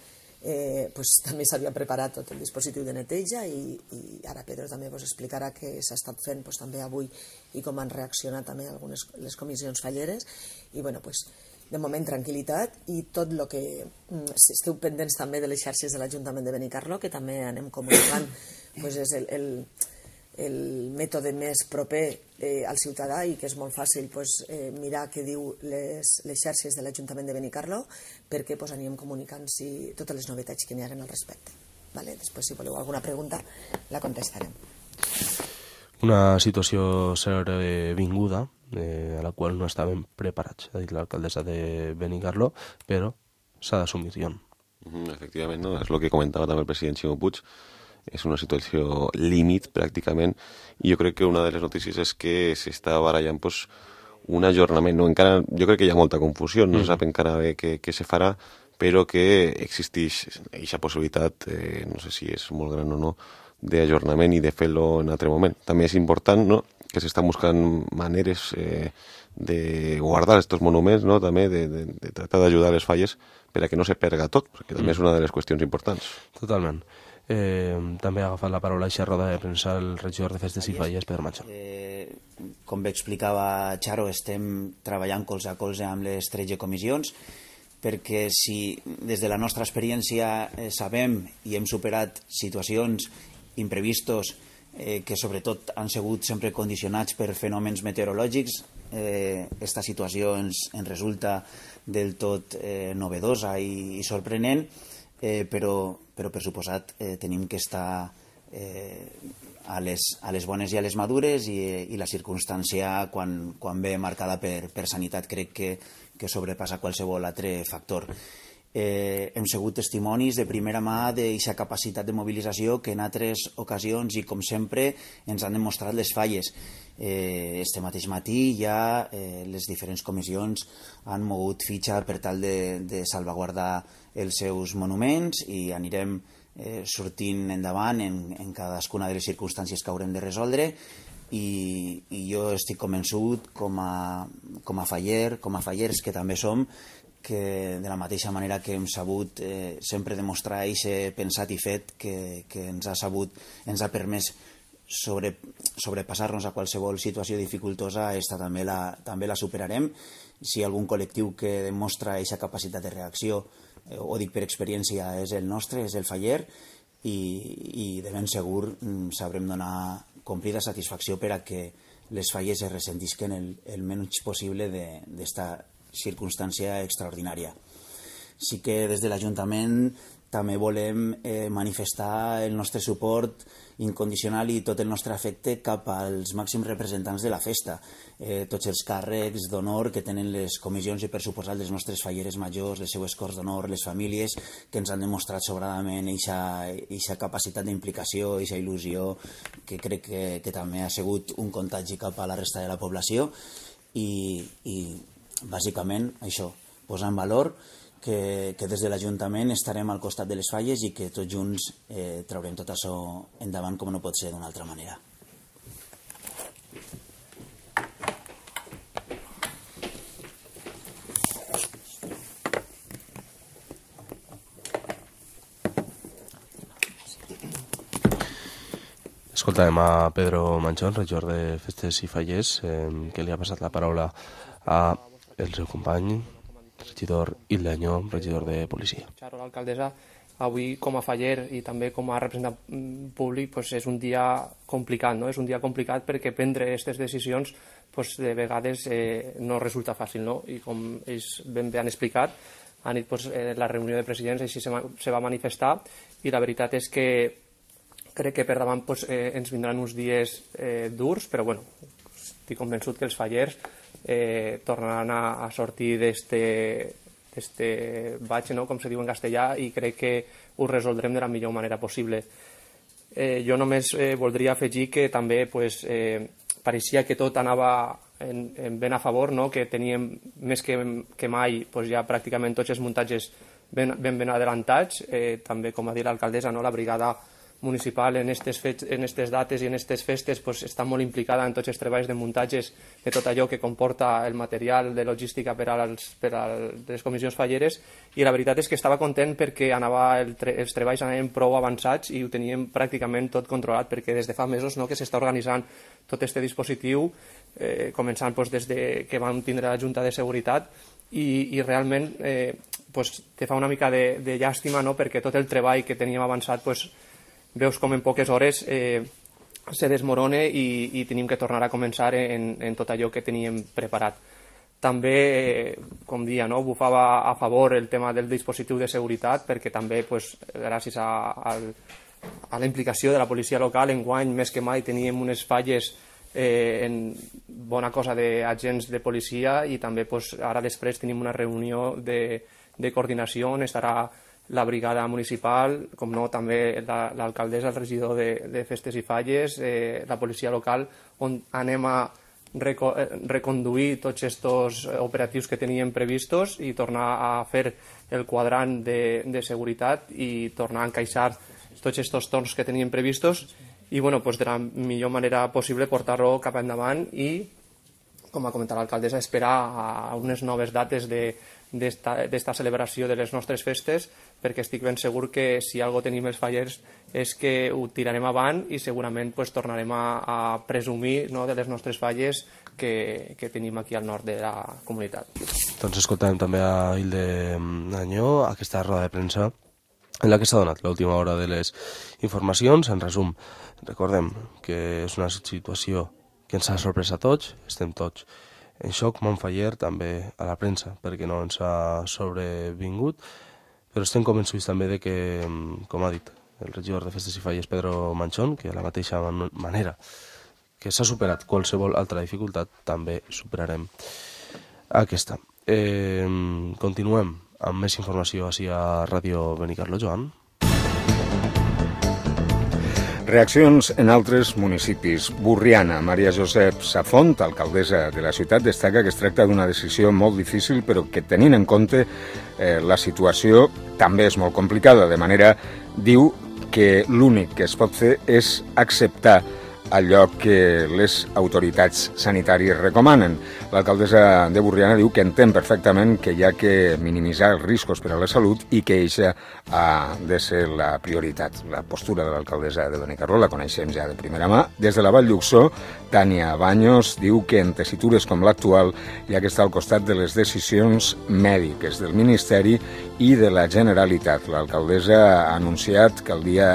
Eh, pues, també s'havia preparat tot el dispositiu de neteja i, i ara Pedro també vos explicarà què s'ha estat fent pues, també avui i com han reaccionat també algunes les comissions falleres i bueno, pues, de moment tranquil·litat i tot el que si esteu pendents també de les xarxes de l'Ajuntament de Benicarló que també anem comunicant pues, és el, el, el mètode més proper eh, al ciutadà i que és molt fàcil pues, eh, mirar què diu les, les xarxes de l'Ajuntament de Benicarló perquè pues, anirem comunicant si, totes les novetats que n'hi hagin al respecte. Vale? Després, si voleu alguna pregunta, la contestarem. Una situació sobrevinguda eh, a la qual no estàvem preparats, ha dit l'alcaldessa de Benicarló, però s'ha d'assumir. Mm, efectivament, no? És el que comentava també el president Ximo Puig. És una situació límit, pràcticament, i jo crec que una de les notícies és que s'està barallant pues, un ajornament. No? Encara, jo crec que hi ha molta confusió, no mm. sap encara bé què, què se farà, però que existeix aquesta possibilitat, eh, no sé si és molt gran o no, d'ajornament i de fer-lo en altre moment. També és important no? que s'estan buscant maneres eh, de guardar aquests monuments, no? també de, de, de tractar d'ajudar les falles per a que no se perga tot, perquè també mm. és una de les qüestions importants. Totalment. Eh, també ha agafat la paraula a aquesta roda de premsa el regidor de Festes i Falles, Pedro Manchón. Eh, com bé explicava Charo, estem treballant colze a colze amb les tretze comissions perquè si des de la nostra experiència eh, sabem i hem superat situacions imprevistos eh, que sobretot han sigut sempre condicionats per fenòmens meteorològics, eh, esta situació ens, ens resulta del tot eh, novedosa i, i sorprenent, eh, però, però per suposat eh, tenim que estar eh, a, les, a les bones i a les madures i, i la circumstància quan, quan ve marcada per, per sanitat crec que, que sobrepassa qualsevol altre factor. Eh, hem sigut testimonis de primera mà d'aquesta capacitat de mobilització que en altres ocasions i com sempre ens han demostrat les falles. Eh, este mateix matí ja eh, les diferents comissions han mogut fitxa per tal de, de salvaguardar els seus monuments i anirem eh, sortint endavant en, en cadascuna de les circumstàncies que haurem de resoldre i, i jo estic convençut com a, com a faller, com a fallers que també som, que de la mateixa manera que hem sabut eh, sempre demostrar aquest pensat i fet que, que ens ha sabut, ens ha permès sobre, sobrepassar-nos a qualsevol situació dificultosa, esta també la, també la superarem. Si hi ha algun col·lectiu que demostra aquesta capacitat de reacció, eh, ho dic per experiència, és el nostre, és el faller, i, i de ben segur mm, sabrem donar complida satisfacció per a que les falles es ressentisquen el, el menys possible d'esta circumstància extraordinària. Sí que des de l'Ajuntament també volem eh, manifestar el nostre suport incondicional i tot el nostre afecte cap als màxims representants de la festa, eh, tots els càrrecs d'honor que tenen les comissions i per suposat les nostres falleres majors, les seues corts d'honor, les famílies que ens han demostrat sobradament aquesta capacitat d'implicació, aquesta il·lusió que crec que, que també ha sigut un contagi cap a la resta de la població i, i bàsicament això, posar en valor que, que des de l'Ajuntament estarem al costat de les falles i que tots junts eh, traurem tot això endavant com no pot ser d'una altra manera. Escoltàvem a Pedro Manchón, regidor de Festes i Falles, eh, que li ha passat la paraula a el seu company, regidor Ildeño, regidor de policia. Xaro, l'alcaldessa, avui com a faller i també com a representant públic pues, és un dia complicat, no? És un dia complicat perquè prendre aquestes decisions pues, de vegades eh, no resulta fàcil, no? I com ells ben bé han explicat, a nit pues, eh, la reunió de presidents així se, se va manifestar i la veritat és que crec que per davant pues, eh, ens vindran uns dies eh, durs, però bueno, estic convençut que els fallers eh, tornaran a, a sortir d'este batxe, no? Com se diu en castellà, i crec que ho resoldrem de la millor manera possible. Eh, jo només eh, voldria afegir que també pues, eh, pareixia que tot anava en, en ben a favor, no? Que teníem més que, que mai pues, ja pràcticament tots els muntatges ben, ben, ben adelantats, eh, també com ha dit l'alcaldessa, no? La brigada municipal en aquestes dates i en aquestes festes pues, està molt implicada en tots els treballs de muntatges de tot allò que comporta el material de logística per a, les, per a les comissions falleres, i la veritat és que estava content perquè anava el tre els treballs anaven prou avançats i ho teníem pràcticament tot controlat, perquè des de fa mesos no, que s'està organitzant tot aquest dispositiu, eh, començant pues, des de que vam tindre la Junta de Seguretat, i, i realment eh, pues, te fa una mica de, de llàstima, no? Perquè tot el treball que teníem avançat pues, veus com en poques hores eh, se desmorona i, i tenim que tornar a començar en, en tot allò que teníem preparat. També, eh, com dia, no, bufava a favor el tema del dispositiu de seguretat, perquè també, pues, gràcies a, a, a la implicació de la policia local, enguany més que mai teníem unes falles eh, en bona cosa d'agents de policia, i també pues, ara després tenim una reunió de, de coordinació on estarà la brigada municipal, com no, també l'alcaldessa, el regidor de, de festes i falles, eh, la policia local, on anem a reco reconduir tots aquests operatius que teníem previstos i tornar a fer el quadrant de, de seguretat i tornar a encaixar tots aquests torns que teníem previstos i bueno, pues, de la millor manera possible portar-lo cap endavant i, com ha comentat l'alcaldessa, esperar a unes noves dates de d'esta celebració de les nostres festes, perquè estic ben segur que si algo tenim els fallers és que ho tirarem avant i segurament pues, tornarem a, a presumir, no, de les nostres falles que, que tenim aquí al nord de la comunitat. Doncs escoltàvem també a Hilde Anyó, aquesta roda de premsa en la que s'ha donat l'última hora de les informacions. En resum, recordem que és una situació que ens ha sorprès a tots, estem tots en xoc, Montfaller també a la premsa, perquè no ens ha sobrevingut, però estem convençuts també de que, com ha dit el regidor de Festes i Falles, Pedro Manchón, que a la mateixa manera que s'ha superat qualsevol altra dificultat, també superarem aquesta. Eh, continuem amb més informació així a Ràdio Benicarló, Joan. Reaccions en altres municipis. Borriana, Maria Josep Safont, alcaldessa de la ciutat, destaca que es tracta d'una decisió molt difícil, però que tenint en compte eh, la situació també és molt complicada, de manera, diu que l'únic que es pot fer és acceptar allò que les autoritats sanitàries recomanen. L'alcaldessa de Borriana diu que entén perfectament que hi ha que minimitzar els riscos per a la salut i que eixa ha de ser la prioritat. La postura de l'alcaldessa de Benicarló la coneixem ja de primera mà. Des de la Vall d'Uxó, Tània Baños diu que en tessitures com l'actual hi ha que estar al costat de les decisions mèdiques del Ministeri i de la Generalitat. L'alcaldessa ha anunciat que, el dia,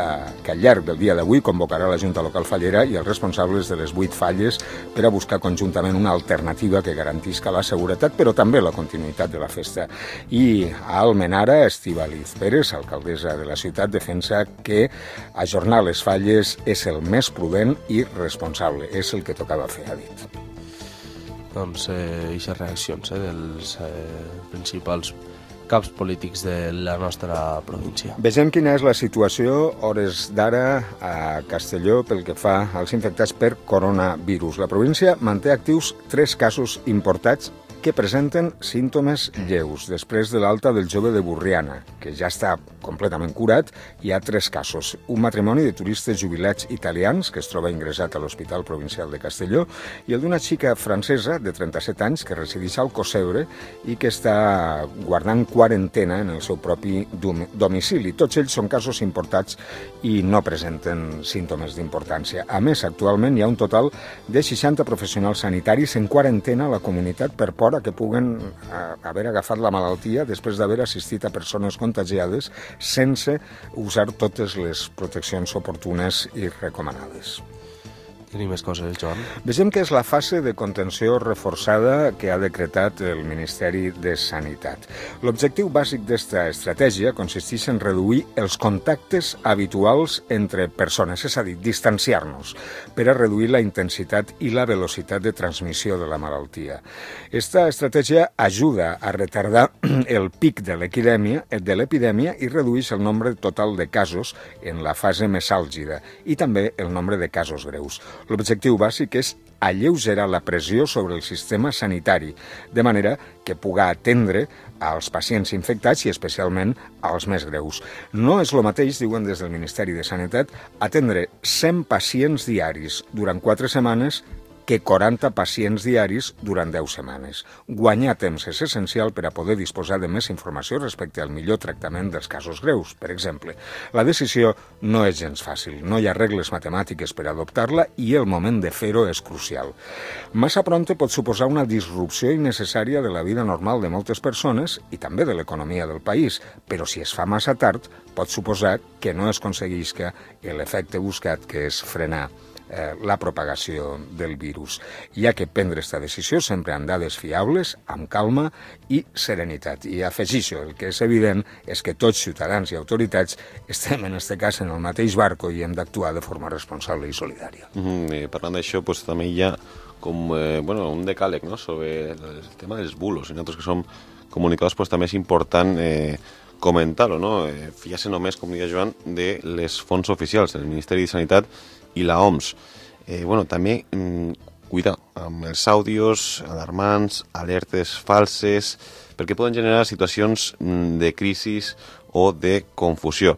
que al llarg del dia d'avui convocarà la Junta Local Fallera i els responsables de les vuit falles per a buscar conjuntament una alternativa que garantisca la seguretat, però també la continuïtat de la festa. I a Almenara, Estíbaliz Pérez, alcaldessa de la ciutat, defensa que ajornar les falles és el més prudent i responsable. És el que tocava fer, ha dit. Doncs eh, aquestes reaccions eh, dels eh, principals caps polítics de la nostra província. Vegem quina és la situació hores d'ara a Castelló pel que fa als infectats per coronavirus. La província manté actius tres casos importats que presenten símptomes lleus. Després de l'alta del jove de Borriana, que ja està completament curat, hi ha tres casos. Un matrimoni de turistes jubilats italians, que es troba ingressat a l'Hospital Provincial de Castelló, i el d'una xica francesa de trenta-set anys que resideix al Coseure i que està guardant quarantena en el seu propi domicili. Tots ells són casos importats i no presenten símptomes d'importància. A més, actualment hi ha un total de seixanta professionals sanitaris en quarantena a la comunitat per por fora que puguen haver agafat la malaltia després d'haver assistit a persones contagiades sense usar totes les proteccions oportunes i recomanades. Tenim més coses, Joan. Vegem que és la fase de contenció reforçada que ha decretat el Ministeri de Sanitat. L'objectiu bàsic d'esta estratègia consisteix en reduir els contactes habituals entre persones, és a dir, distanciar-nos, per a reduir la intensitat i la velocitat de transmissió de la malaltia. Esta estratègia ajuda a retardar el pic de l'epidèmia de l'epidèmia i redueix el nombre total de casos en la fase més àlgida i també el nombre de casos greus. L'objectiu bàsic és alleugerar la pressió sobre el sistema sanitari, de manera que puga atendre als pacients infectats i especialment als més greus. No és el mateix, diuen des del Ministeri de Sanitat, atendre cent pacients diaris durant quatre setmanes que quaranta pacients diaris durant deu setmanes. Guanyar temps és essencial per a poder disposar de més informació respecte al millor tractament dels casos greus, per exemple. La decisió no és gens fàcil, no hi ha regles matemàtiques per adoptar-la i el moment de fer-ho és crucial. Massa prompte pot suposar una disrupció innecessària de la vida normal de moltes persones i també de l'economia del país, però si es fa massa tard pot suposar que no es aconseguisca l'efecte buscat, que és frenar la propagació del virus. Hi ha que prendre aquesta decisió sempre amb dades fiables, amb calma i serenitat. I afegixo, el que és evident és que tots, ciutadans i autoritats, estem en aquest cas en el mateix barco i hem d'actuar de forma responsable i solidària. Mm, eh, parlant d'això, pues, també hi ha com, eh, bueno, un decàleg, no?, sobre el tema dels bulos. I nosaltres que som comunicadors, pues, també és important eh, comentar-ho, no? Eh, fiar-se només, com deia Joan, de les fonts oficials del Ministeri de Sanitat i la O M S. Eh, bueno, també, mm, cuidar amb els àudios alarmants, alertes falses, perquè poden generar situacions mm, de crisi o de confusió.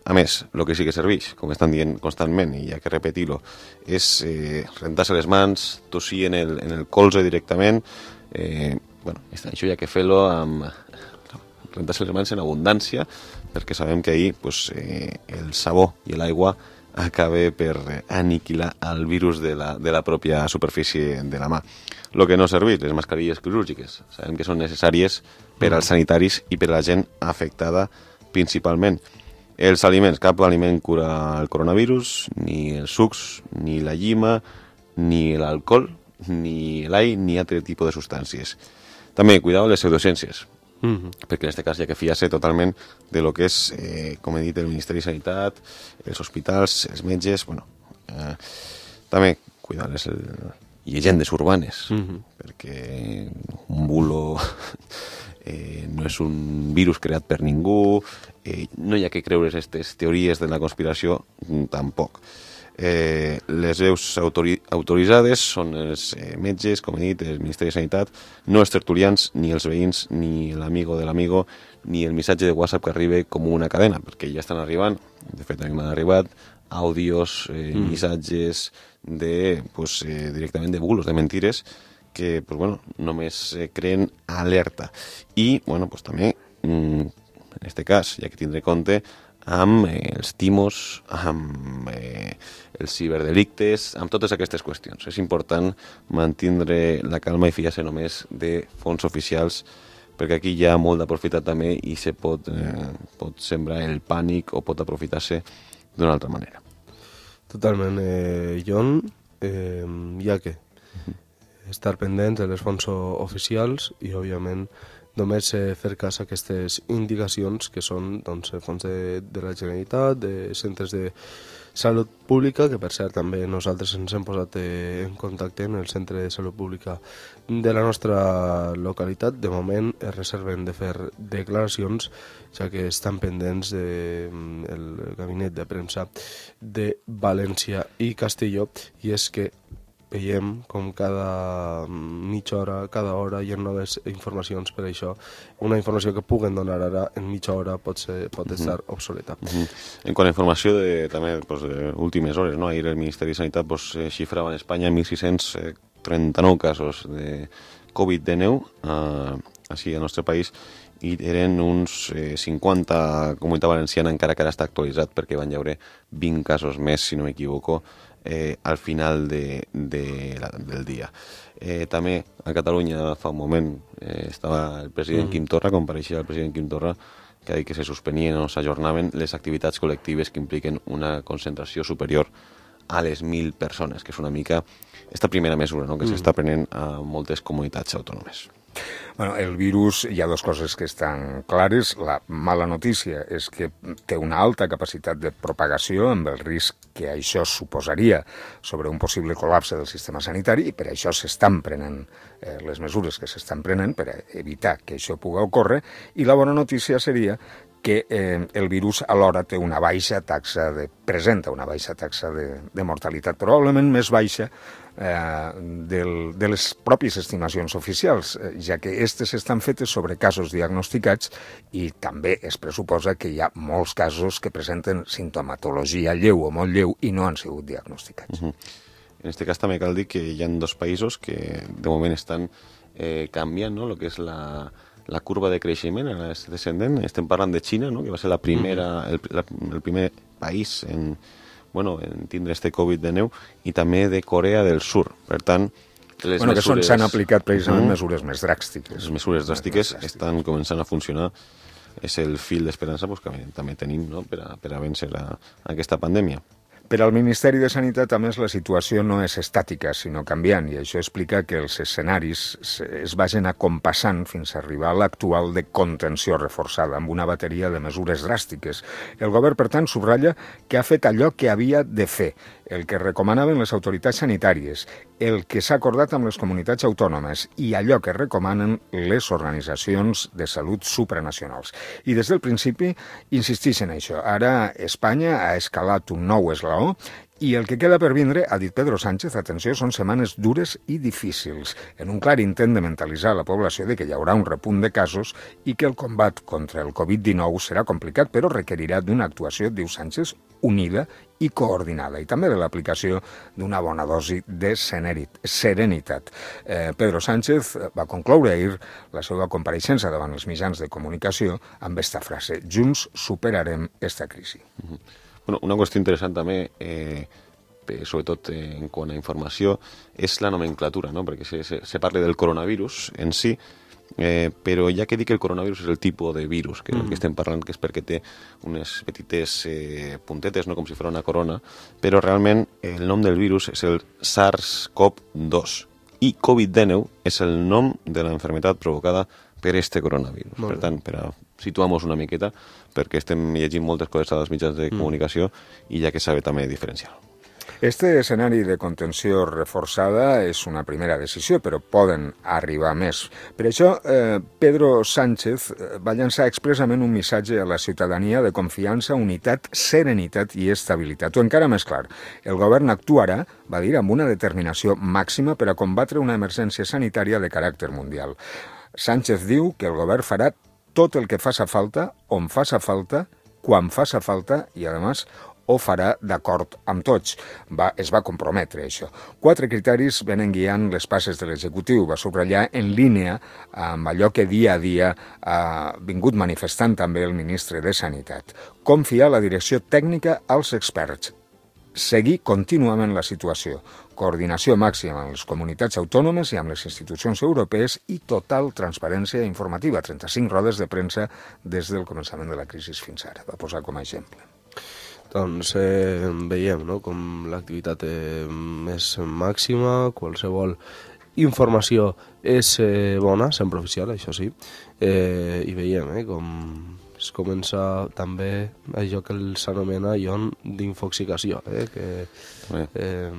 A més, el que sí que serveix, com estan dient constantment, i hi ha que repetir-ho, és eh, rentar-se les mans, tossir en el, en el colze directament. Eh, bueno, això hi ha que fer-lo amb rentar-se les mans en abundància, perquè sabem que ahir pues, eh, el sabó i l'aigua acabe per aniquilar el virus de la, de la pròpia superfície de la mà. El que no serveix, les mascarilles quirúrgiques, sabem que són necessàries per als sanitaris i per a la gent afectada principalment. Els aliments, cap aliment cura el coronavirus, ni els sucs, ni la llima, ni l'alcohol, ni l'ai, ni altre tipus de substàncies. També, cuidado les pseudociències, mm-hmm. perquè en aquest cas hi ha que fiar-se totalment de lo que és, eh, com he dit, el Ministeri de Sanitat, els hospitals, els metges, bueno, eh, també cuidar les llegendes urbanes, mm-hmm. perquè un bulo eh, no és un virus creat per ningú, eh, no hi ha que creure aquestes teories de la conspiració, tampoc. Eh, les veus autori autoritzades són els eh, metges, com he dit, el Ministeri de Sanitat, no els tertulians, ni els veïns, ni l'amigo de l'amigo, ni el missatge de WhatsApp que arriba com una cadena, perquè ja estan arribant, de fet a mi m'han arribat, àudios, eh, mm. missatges de, pues, eh, directament de bulos, de mentires, que pues, bueno, només eh, creen alerta. I bueno, pues, també, mm, en aquest cas, hi ha que tindre compte amb eh, els timos, amb eh, els ciberdelictes, amb totes aquestes qüestions. És important mantindre la calma i fiar-se només de fons oficials, perquè aquí hi ha molt d'aprofitar també i se pot, eh, pot sembrar el pànic o pot aprofitar-se d'una altra manera. Totalment. Eh, Jon, eh, hi ha que estar pendents de les fonts oficials i, òbviament, només eh, fer cas a aquestes indicacions que són doncs, fons de, de la Generalitat, de centres de salut pública, que per cert també nosaltres ens hem posat eh, en contacte en el centre de salut pública de la nostra localitat. De moment es reserven de fer declaracions, ja que estan pendents del de, gabinet de premsa de València i Castelló, i és que veiem com cada mitja hora, cada hora hi ha noves informacions per això. Una informació que puguen donar ara en mitja hora pot, ser, pot estar uh-huh. obsoleta. Uh-huh. En quant a informació de, també, pues, de últimes hores, no? Ahir el Ministeri de Sanitat pues, xifrava en Espanya mil sis-cents trenta-nou casos de covid dinou, eh, així al nostre país, i eren uns eh, cinquanta, Comunitat Valenciana encara que ara està actualitzat perquè van haure vint casos més, si no m'equivoco, eh, al final de, de la, del dia. Eh, també a Catalunya fa un moment eh, estava el president mm. Quim Torra, compareixia el president Quim Torra, que ha dit que se suspenien o s'ajornaven les activitats col·lectives que impliquen una concentració superior a les mil persones, que és una mica esta primera mesura, no?, que mm. s'està prenent a moltes comunitats autònomes. Bueno, el virus, hi ha dues coses que estan clares. La mala notícia és que té una alta capacitat de propagació, amb el risc que això suposaria sobre un possible col·lapse del sistema sanitari, i per això s'estan prenent eh, les mesures que s'estan prenent per evitar que això pugui ocórrer. I la bona notícia seria que eh, el virus alhora té una baixa taxa de, presenta una baixa taxa de, de mortalitat, probablement més baixa eh, del, de les pròpies estimacions oficials, eh, ja que aquestes estan fetes sobre casos diagnosticats i també es pressuposa que hi ha molts casos que presenten sintomatologia lleu o molt lleu i no han sigut diagnosticats. Uh-huh. En aquest cas també cal dir que hi ha dos països que de moment estan eh, canviant, no?, el que és la la curva de creixement, ara és descendent. Estem parlant de Xina, no?, que va ser la primera, el, la, el primer país en, bueno, en tindre este Covid de neu, i també de Corea del Sur. Per tant, les bueno, mesures... que s'han aplicat precisament uh-huh. mesures més dràstiques. Les mesures dràstiques estan començant a funcionar. És el fil d'esperança pues, que també tenim, no?, per a, per a vèncer a, a aquesta pandèmia. Per al Ministeri de Sanitat, a més, la situació no és estàtica, sinó canviant, i això explica que els escenaris es vagin acompassant fins a arribar a l'actual de contenció reforçada, amb una bateria de mesures dràstiques. El govern, per tant, subratlla que ha fet allò que havia de fer, el que recomanaven les autoritats sanitàries, el que s'ha acordat amb les comunitats autònomes i allò que recomanen les organitzacions de salut supranacionals. I des del principi insisteixen en això. Ara Espanya ha escalat un nou esglaó i el que queda per vindre, ha dit Pedro Sánchez, atenció, són setmanes dures i difícils, en un clar intent de mentalitzar la població de que hi haurà un repunt de casos i que el combat contra el covid dinou serà complicat, però requerirà d'una actuació, diu Sánchez, unida i coordinada, i també de l'aplicació d'una bona dosi de serenitat. Eh, Pedro Sánchez va concloure ahir la seva compareixença davant els mitjans de comunicació amb esta frase: junts superarem esta crisi. Uh-huh. Bueno, una qüestió interessant també, eh, sobretot eh, en quant a informació, és la nomenclatura, no?, perquè se, se, se parla del coronavirus en si, eh, però ja que dic que el coronavirus és el tipus de virus que, mm. que estem parlant, que és perquè té unes petites eh, puntetes, no?, com si fos una corona, però realment el nom del virus és el SARS-CoV dos i covid dinou és el nom de la enfermedad provocada per este coronavirus. Molt per tant, per a situar-nos una miqueta, perquè estem llegint moltes coses als mitjans de comunicació mm. i ja que sabe també diferenciar. Este escenari de contenció reforçada és una primera decisió, però poden arribar més. Per això, eh, Pedro Sánchez va llançar expressament un missatge a la ciutadania de confiança, unitat, serenitat i estabilitat. O encara més clar, el govern actuarà, va dir, amb una determinació màxima per a combatre una emergència sanitària de caràcter mundial. Sánchez diu que el govern farà tot el que faça falta, on faça falta, quan faça falta i, a més, ho farà d'acord amb tots. Va, es va comprometre, això. Quatre criteris venen guiant les passes de l'executiu. Va subratllar en línia amb allò que dia a dia ha vingut manifestant també el ministre de Sanitat. Confiar la direcció tècnica als experts. Seguir contínuament la situació. Coordinació màxima amb les comunitats autònomes i amb les institucions europees i total transparència informativa. trenta-cinc rodes de premsa des del començament de la crisi fins ara. Va posar com a exemple. Doncs eh, veiem, no?, com l'activitat eh, és màxima, qualsevol informació és eh, bona, sempre oficial, això sí, eh, i veiem eh, com es comença també allò que s'anomena ion d'infoxicació, eh, que eh,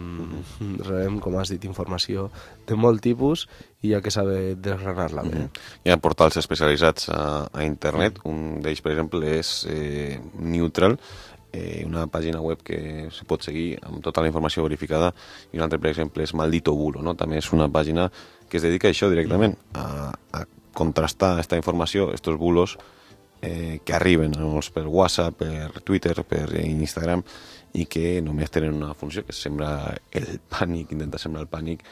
rebem, com has dit, informació de molt tipus i ja que s'ha de desgranar-la bé. Mm-hmm. Hi ha portals especialitzats a, a internet, un d'ells, per exemple, és eh, Neutral, Eh, una pàgina web que se pot seguir amb tota la informació verificada, i un altre, per exemple, és Maldito Bulo, no? També és una pàgina que es dedica a això directament, a, a contrastar aquesta informació, aquests bulos eh, que arriben doncs, per WhatsApp, per Twitter, per Instagram, i que només tenen una funció, que és sembrar el pànic, intentar sembrar el pànic,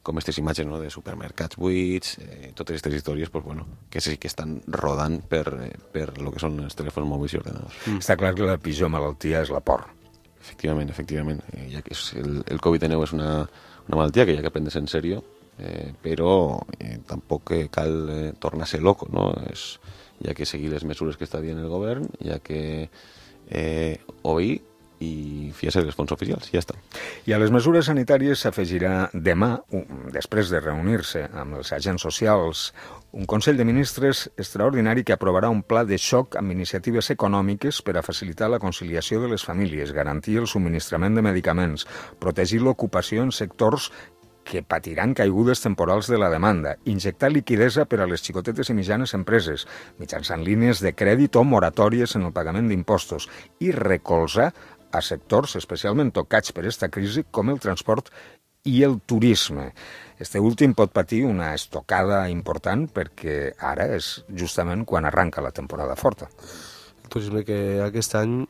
com aquestes imatges, no?, de supermercats buits, eh, totes aquestes històries, pues, bueno, que sí que estan rodant per, eh, per lo que són els telèfons mòbils i ordenadors. Mm. Està clar que la pitjor malaltia és la por. Efectivament, efectivament. Eh, ja que és el, el covid dinou és una, una malaltia que hi ha que prendre-se en sèrio, eh, però eh, tampoc eh, cal eh, tornar-se loco, no? És, hi ha que seguir les mesures que està dient el govern, hi ha que eh, obeir i fiar-se dels fons oficials, ja està. I a les mesures sanitàries s'afegirà demà, després de reunir-se amb els agents socials, un Consell de Ministres extraordinari que aprovarà un pla de xoc amb iniciatives econòmiques per a facilitar la conciliació de les famílies, garantir el subministrament de medicaments, protegir l'ocupació en sectors que patiran caigudes temporals de la demanda, injectar liquidesa per a les xicotetes i mitjanes empreses, mitjançant línies de crèdit o moratòries en el pagament d'impostos, i recolzar a sectors especialment tocats per aquesta crisi com el transport i el turisme. Este últim pot patir una estocada important perquè ara és justament quan arranca la temporada forta. El turisme que aquest any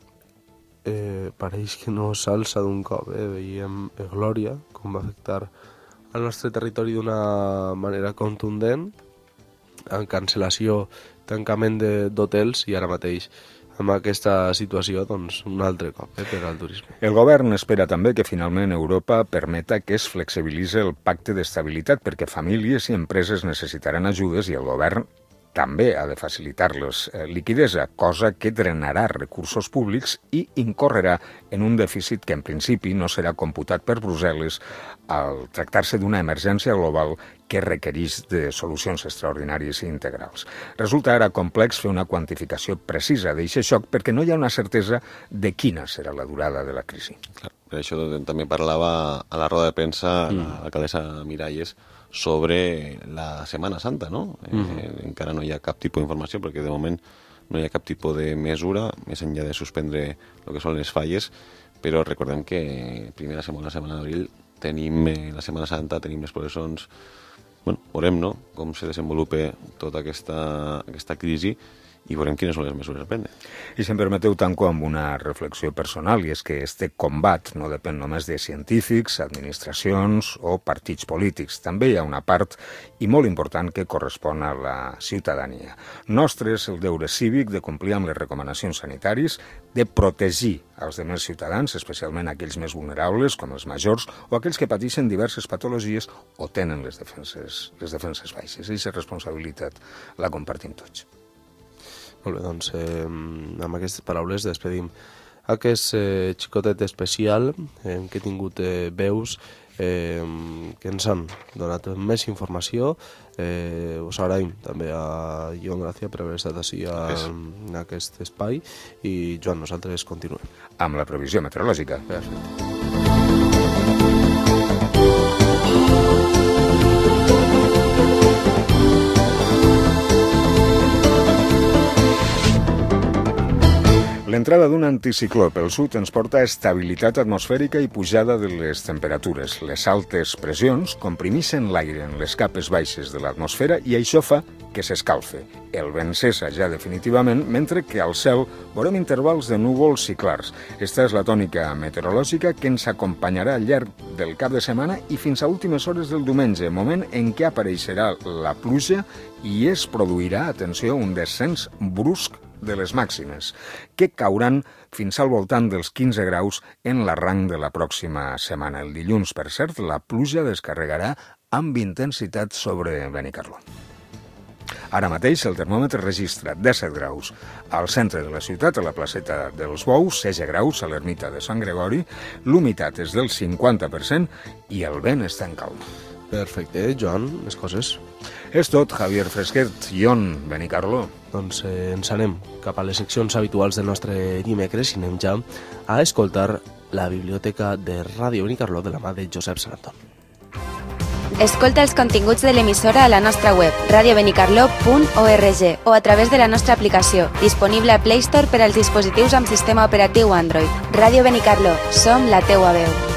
eh, pareix que no s'alça d'un cop. Eh? Veiem eh, Glòria, com va afectar al nostre territori d'una manera contundent, en cancel·lació, tancament d'hotels i ara mateix amb aquesta situació, doncs, un altre cop eh, per al turisme. El govern espera també que finalment Europa permeta que es flexibilitzi el pacte d'estabilitat perquè famílies i empreses necessitaran ajudes i el govern també ha de facilitar-los eh, liquidesa, cosa que drenarà recursos públics i incorrerà en un dèficit que en principi no serà computat per Brussel·les al tractar-se d'una emergència global que requereix de solucions extraordinàries i integrals. Resulta ara complex fer una quantificació precisa d'aquest xoc perquè no hi ha una certesa de quina serà la durada de la crisi. Clar, per això també parlava a la roda de premsa mm. l'alcaldessa Miralles sobre la Setmana Santa, no? Eh, mm. Encara no hi ha cap tipus d'informació perquè de moment no hi ha cap tipus de mesura, més enllà de suspendre el que són les falles, però recordem que primera setmana, la setmana d'abril, tenim eh, la Setmana Santa, tenim les processons. Bueno, veurem, no?, com se desenvolupa tota aquesta, aquesta crisi i veurem quines són les mesures a prendre. I si em permeteu, tanco amb una reflexió personal, i és que este combat no depèn només de científics, administracions o partits polítics. També hi ha una part, i molt important, que correspon a la ciutadania. Nostre és el deure cívic de complir amb les recomanacions sanitàries, de protegir els demés ciutadans, especialment aquells més vulnerables, com els majors, o aquells que pateixen diverses patologies o tenen les defenses, les defenses baixes. Aquesta responsabilitat la compartim tots. Molt bé, doncs eh, amb aquestes paraules despedim aquest eh, xicotet especial eh, que he tingut eh, veus eh, que ens han donat més informació. Eh, us agraïm també a Joan Gràcia per haver estat així a, en aquest espai i Joan, nosaltres continuem. Amb la previsió meteorològica. Perfecte. L'entrada d'un anticicló pel sud ens porta estabilitat atmosfèrica i pujada de les temperatures. Les altes pressions comprimixen l'aire en les capes baixes de l'atmosfera i això fa que s'escalfe. El vent cessa ja definitivament, mentre que al cel veurem intervals de núvols i clars. Esta és la tònica meteorològica que ens acompanyarà al llarg del cap de setmana i fins a últimes hores del diumenge, moment en què apareixerà la pluja i es produirà, atenció, un descens brusc de les màximes, que cauran fins al voltant dels quinze graus en l'arranc de la pròxima setmana. El dilluns, per cert, la pluja descarregarà amb intensitat sobre Benicarló. Ara mateix el termòmetre registra disset graus al centre de la ciutat, a la placeta dels Bous, setze graus a l'ermita de Sant Gregori, l'humitat és del cinquanta per cent i el vent està en calma. Perfecte, Joan, més coses? És tot, Javier Fresquet, Ion, Benicarló. Doncs eh, ens anem cap a les seccions habituals del nostre dimecres i anem ja a escoltar la biblioteca de Ràdio Benicarló de la mà de Josep Sant Anton. Escolta els continguts de l'emissora a la nostra web radio benicarló punt org o a través de la nostra aplicació, disponible a Play Store per als dispositius amb sistema operatiu Android. Ràdio Benicarló, som la teua veu.